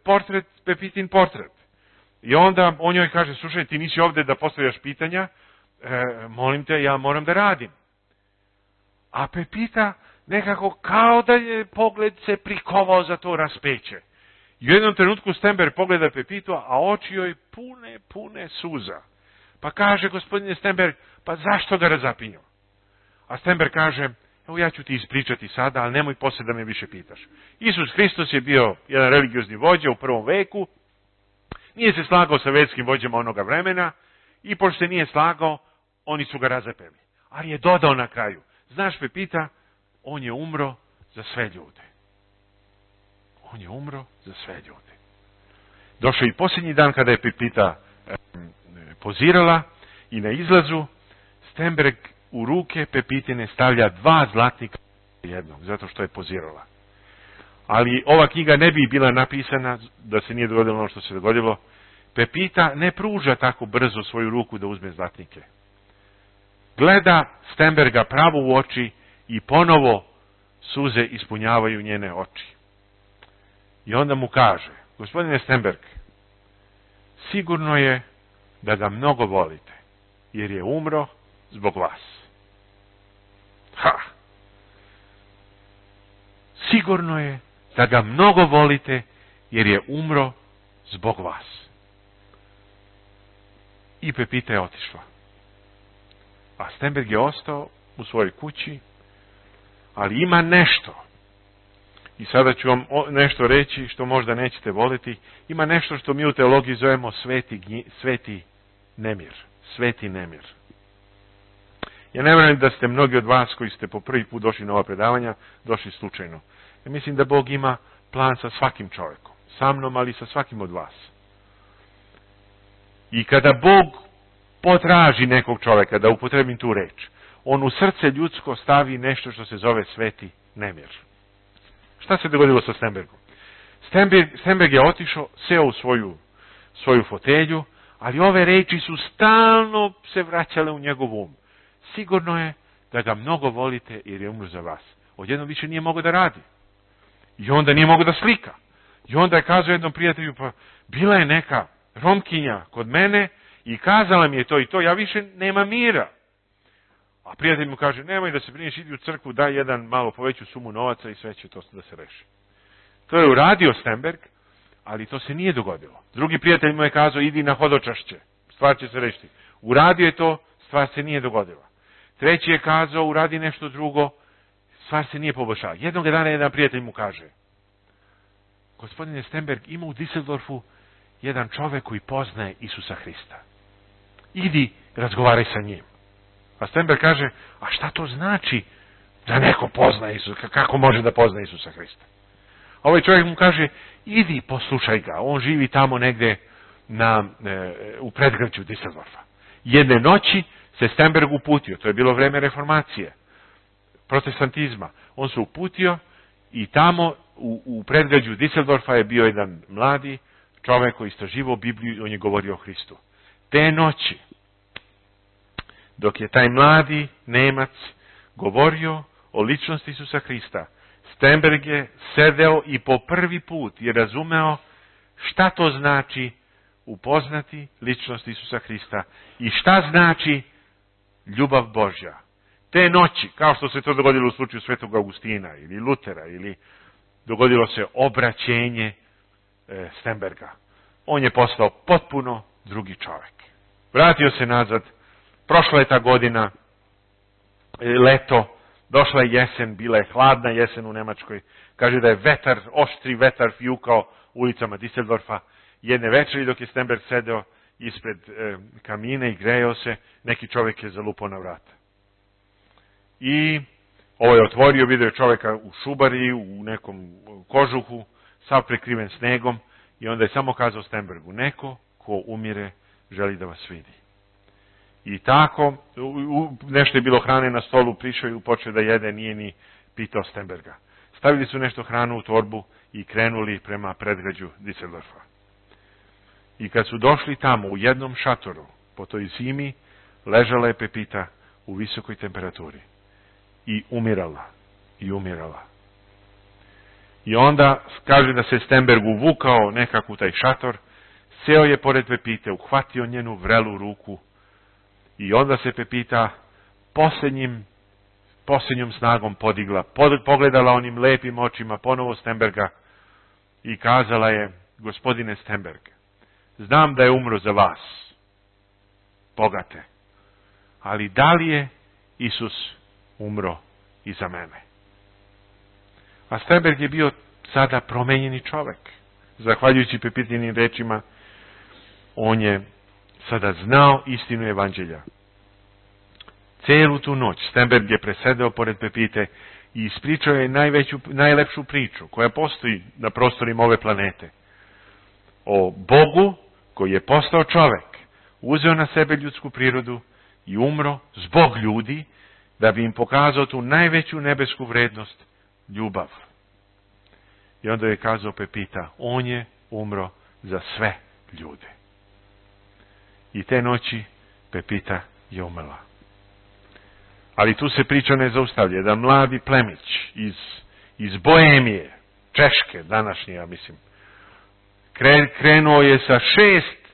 [SPEAKER 1] portret, Pepitin portret. I onda on joj kaže, slušaj, ti nisi ovdje da postavljaš pitanja, e, molim te, ja moram da radim. A Pepita nekako kao da je pogled se prikovao za to raspeće. I u jednom trenutku Stenberg pogleda Pepitu, a oči joj pune, pune suza. Pa kaže, gospodine Stenberg, pa zašto ga razapinju? A Stenberg kaže, evo ja ću ti ispričati sada, ali nemoj poslije da me više pitaš. Isus Hristos je bio jedan religiozni vođa u prvom veku, nije se slagao sa verskim vođama onoga vremena i pošto se nije slagao, oni su ga razapeli. Ali je dodao na kraju, znaš Pepita, on je umro za sve ljude. On je umro za sve ljude. Došao i posljednji dan kada je Pepita e, pozirala i na izlazu Stenberg u ruke Pepitine stavlja dva zlatnika jednog, zato što je pozirala. Ali ova knjiga ne bi bila napisana da se nije dogodilo ono što se dogodilo. Pepita ne pruža tako brzo svoju ruku da uzme zlatnike. Gleda Stenberga pravo u oči i ponovo suze ispunjavaju njene oči. I onda mu kaže, gospodine Stenberg, sigurno je da ga mnogo volite, jer je umro zbog vas. Ha! Sigurno je da ga mnogo volite, jer je umro zbog vas. I Pepita je otišla. A Stenberg je ostao u svojoj kući, ali ima nešto. I sada ću vam nešto reći što možda nećete voliti. Ima nešto što mi u teologiji zovemo sveti, sveti nemir. Sveti nemir. Ja ne vjerujem da ste mnogi od vas koji ste po prvi put došli na ova predavanja, došli slučajno. Ja mislim da Bog ima plan sa svakim čovjekom. Sa mnom, ali sa svakim od vas. I kada Bog potraži nekog čovjeka, da upotrebim tu reč, on u srce ljudsko stavi nešto što se zove sveti nemir. Šta se dogodilo sa Stenbergom? Stenberg, Stenberg je otišao, seo u svoju, svoju fotelju, ali ove reči su stalno se vraćale u njegov um. Sigurno je da ga mnogo volite jer je umro za vas. Odjednom više nije mogao da radi. I onda nije mogao da slika. I onda je kazao jednom prijatelju, pa bila je neka Romkinja kod mene i kazala mi je to i to, ja više nema mira. A prijatelj mu kaže, nemoj da se brineš, idi u crkvu, daj jedan malo poveću sumu novaca i sve će to da se reši. To je uradio Stenberg, ali to se nije dogodilo. Drugi prijatelj mu je kazao, idi na hodočašće, stvar će se rešiti. Uradio je to, stvar se nije dogodila. Treći je kazao, uradi nešto drugo, stvar se nije poboljšala. Jednog dana jedan prijatelj mu kaže, gospodine Stenberg, ima u Düsseldorfu jedan čovjek koji poznaje Isusa Hrista. Idi, razgovaraj sa njim. A Stenberg kaže, a šta to znači da neko pozna Isusa? Kako može da pozna Isusa Hrista? A ovaj čovjek mu kaže, idi, poslušaj ga. On živi tamo negde na, e, u predgrađu Düsseldorfa. Jedne noći se Stenberg uputio, to je bilo vreme reformacije, protestantizma. On se uputio i tamo u, u predgrađu Düsseldorfa je bio jedan mladi čovjek koji istraživao Bibliju i on je govorio o Hristu. Te noći, dok je taj mladi Nemac govorio o ličnosti Isusa Hrista, Stenberg je sedeo i po prvi put je razumeo šta to znači upoznati ličnost Isusa Hrista i šta znači ljubav Božja. Te noći, kao što se to dogodilo u slučaju Svetog Augustina ili Lutera, ili dogodilo se obraćenje e, Stenberga. On je postao potpuno drugi čovjek. Vratio se nazad, prošla je ta godina, e, leto, došla je jesen, bila je hladna jesen u Nemačkoj. Kaže da je vetar, oštri vetar fjukao ulicama Düsseldorfa. Jedne večeri dok je Stenberg sedeo ispred e, kamine i grejao se, neki čovjek je zalupao na vrata. I ovo je otvorio, vidio čovjeka u šubari, u nekom kožuhu, sav prekriven snegom, i onda je samo kazao Stenbergu, neko ko umire želi da vas vidi. I tako, u, nešto je bilo hrane na stolu, prišao i počeo da jede, nije ni pitao Stenberga. Stavili su nešto hranu u torbu i krenuli prema predgrađu Düsseldorfa. I kad su došli tamo, u jednom šatoru, po toj zimi, ležala je Pepita u visokoj temperaturi. I umirala. I umirala. I onda kaže da se Stenberg uvukao nekako u taj šator, seo je pored Pepite, uhvatio njenu vrelu ruku i onda se Pepita posljednjim, posljednjom snagom podigla, pod, pogledala onim lepim očima ponovo Stenberga i kazala je, gospodine Stenberg, znam da je umro za vas, bogate, ali da li je Isus umro i za mene? A Stenberg je bio sada promenjeni čovjek. Zahvaljujući Pepitinim rečima, on je sada znao istinu evanđelja. Celu tu noć Stenberg je presedeo pored Pepite i ispričao je najveću, najlepšu priču koja postoji na prostorima ove planete. O Bogu koji je postao čovjek, uzeo na sebe ljudsku prirodu i umro zbog ljudi, da bi im pokazao tu najveću nebesku vrednost, ljubav. I onda je kazao Pepita, on je umro za sve ljude. I te noći Pepita je umrla. Ali tu se priča ne zaustavlja. Jedan mladi plemić iz, iz Bohemije, Češke, današnje, ja mislim, krenuo je sa šest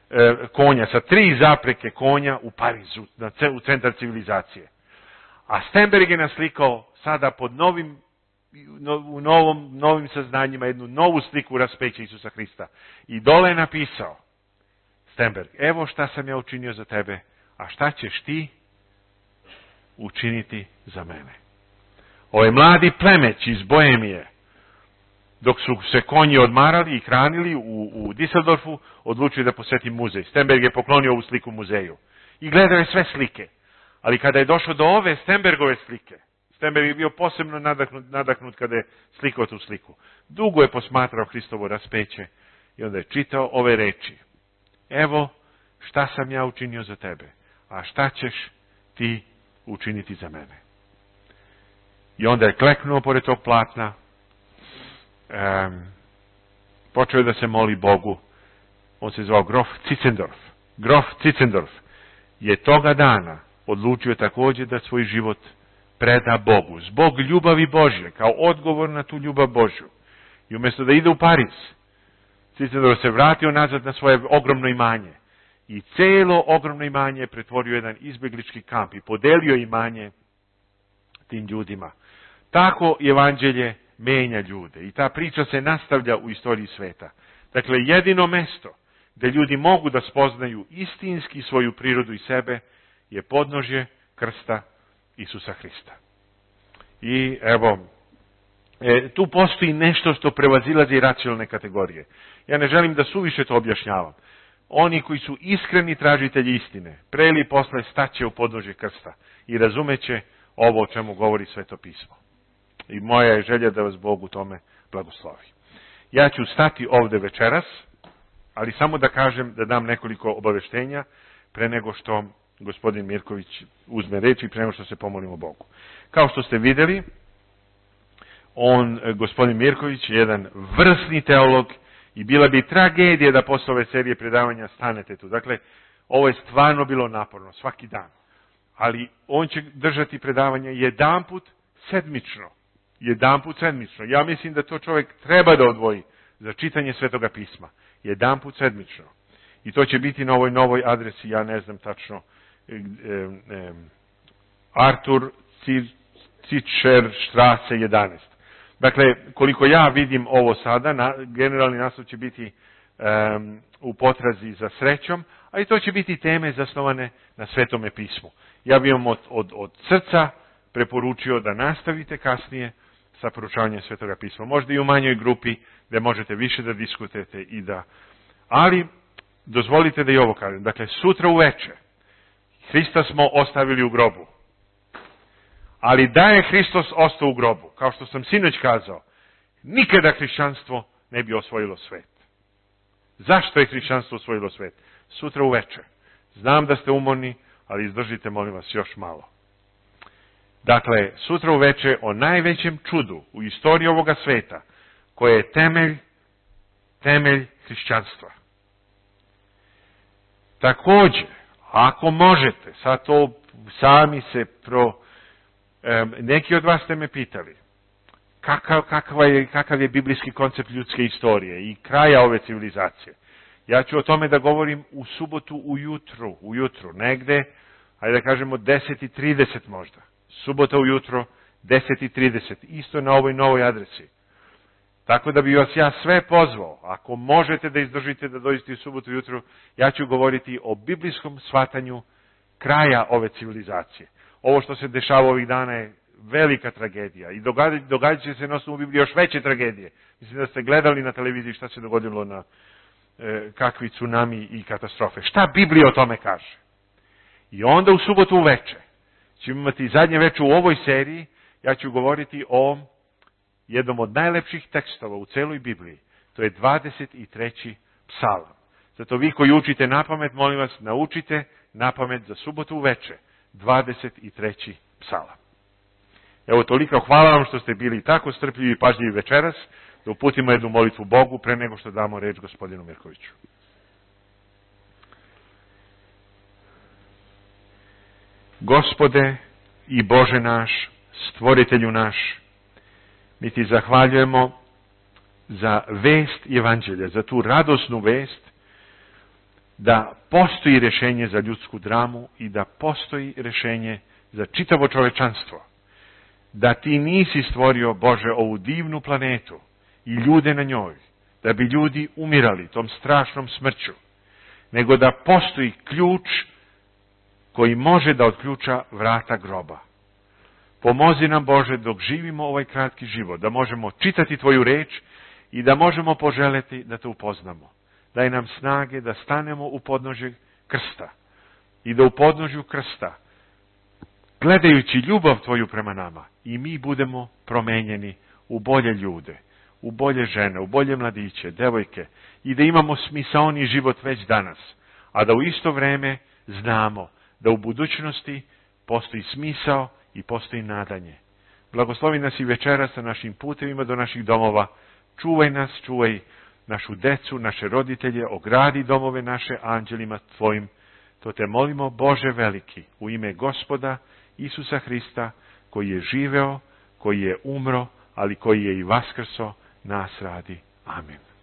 [SPEAKER 1] e, konja, sa tri zapreke konja u Parizu, na, u centar civilizacije. A Stenberg je naslikao sada pod novim, u novom, novim saznanjima jednu novu sliku raspeća Isusa Hrista. I dole je napisao Stenberg, evo šta sam ja učinio za tebe, a šta ćeš ti učiniti za mene. Ovaj mladi plemeć iz Bohemije, dok su se konji odmarali i hranili u, u Düsseldorfu, odlučio da posjeti muzej. Stenberg je poklonio ovu sliku muzeju. I gledao je sve slike. Ali kada je došao do ove Stenbergove slike, Stenberg je bio posebno nadahnut, nadahnut kada je slikao tu sliku. Dugo je posmatrao Hristovo raspeće i onda je čitao ove reči. Evo šta sam ja učinio za tebe, a šta ćeš ti učiniti za mene. I onda je kleknuo pored tog platna, um, počeo je da se moli Bogu. On se zvao Grof Zinzendorf. Grof Zinzendorf je toga dana odlučio također da svoj život preda Bogu, zbog ljubavi Božje, kao odgovor na tu ljubav Božju. I umjesto da ide u Pariz, Zinzendorf se vratio nazad na svoje ogromno imanje. I cijelo ogromno imanje je pretvorio jedan izbjeglički kamp i podelio imanje tim ljudima. Tako evanđelje menja ljude i ta priča se nastavlja u istoriji sveta. Dakle, jedino mesto gdje ljudi mogu da spoznaju istinski svoju prirodu i sebe je podnožje krsta Isusa Hrista. I evo, e, tu postoji nešto što prevazilazi racionalne kategorije. Ja ne želim da suviše to objašnjavam. Oni koji su iskreni tražitelji istine, pre ili posle staće u podnožje krsta i razumeće ovo o čemu govori Sveto pismo. I moja je želja da vas Bog u tome blagoslovi. Ja ću stati ovdje večeras, ali samo da kažem, da dam nekoliko obaveštenja pre nego što gospodin Mirković uzme reč i pre nego što se pomolimo Bogu. Kao što ste vidjeli, on, gospodin Mirković, je jedan vrsni teolog i bila bi tragedija da posle ove serije predavanja stanete tu. Dakle, ovo je stvarno bilo naporno, svaki dan. Ali on će držati predavanje jedanput sedmično. Jedanput sedmično. Ja mislim da to čovjek treba da odvoji za čitanje Svetoga pisma. Jedanput sedmično. I to će biti na ovoj novoj adresi, ja ne znam tačno, e, e, Artur Cičer Strasse jedanaest. Dakle, koliko ja vidim ovo sada, na, generalni naslov će biti um, u potrazi za srećom, a i to će biti teme zasnovane na Svetome pismu. Ja bih vam od, od, od srca preporučio da nastavite kasnije sa proučavanjem Svetoga pisma. Možda i u manjoj grupi gdje možete više da diskutujete i da... Ali, dozvolite da i ovo kažem. Dakle, sutra uveče Hrista smo ostavili u grobu. Ali da je Hristos ostao u grobu, kao što sam sinoć kazao, nikada hrišćanstvo ne bi osvojilo svet. Zašto je hrišćanstvo osvojilo svet? Sutra uveče. Znam da ste umorni, ali izdržite, molim vas, još malo. Dakle, sutra uveče o najvećem čudu u istoriji ovoga sveta, koje je temelj, temelj hrišćanstva. Također, ako možete, sad to sami se pro... Neki od vas ste me pitali kakav, kakav, je, kakav je biblijski koncept ljudske istorije i kraja ove civilizacije. Ja ću o tome da govorim u subotu ujutru, ujutru, negde, ajde da kažemo deset i trideset možda. Subota ujutro, deset i trideset, isto na ovoj novoj adresi. Tako da bi vas ja sve pozvao, ako možete da izdržite da dođete u subotu ujutru, ja ću govoriti o biblijskom shvatanju kraja ove civilizacije. Ovo što se dešava ovih dana je velika tragedija i događa, događa će se na osnovu Biblije još veće tragedije. Mislim da ste gledali na televiziji šta se dogodilo na e, kakvi tsunami i katastrofe. Šta Biblija o tome kaže? I onda u subotu uveče ćemo imati zadnje veče u ovoj seriji, ja ću govoriti o jednom od najlepših tekstova u celoj Bibliji. To je dvadeset treći psalam. Zato vi koji učite napamet, molim vas, naučite napamet za subotu uveče. dvadeset treći psalam. Evo toliko, hvala vam što ste bili tako strpljivi i pažljivi večeras, da uputimo jednu molitvu Bogu pre nego što damo reč gospodinu Mirkoviću. Gospode i Bože naš, stvoritelju naš, mi ti zahvaljujemo za vest evanđelja, za tu radosnu vest da postoji rješenje za ljudsku dramu i da postoji rješenje za čitavo čovečanstvo. Da ti nisi stvorio, Bože, ovu divnu planetu i ljude na njoj, da bi ljudi umirali tom strašnom smrću, nego da postoji ključ koji može da otključa vrata groba. Pomozi nam, Bože, dok živimo ovaj kratki život, da možemo čitati Tvoju reč i da možemo poželeti da Te upoznamo. Daj nam snage da stanemo u podnožju krsta i da u podnožju krsta, gledajući ljubav Tvoju prema nama, i mi budemo promenjeni u bolje ljude, u bolje žene, u bolje mladiće, devojke, i da imamo smisaoni život već danas, a da u isto vreme znamo da u budućnosti postoji smisao i postoji nadanje. Blagoslovi nas i večera sa našim putevima do naših domova. Čuvaj nas, čuvaj našu decu, naše roditelje, ogradi domove naše anđelima Tvojim. To Te molimo, Bože veliki, u ime Gospoda Isusa Hrista, koji je živeo, koji je umro, ali koji je i vaskrso nas radi. Amin.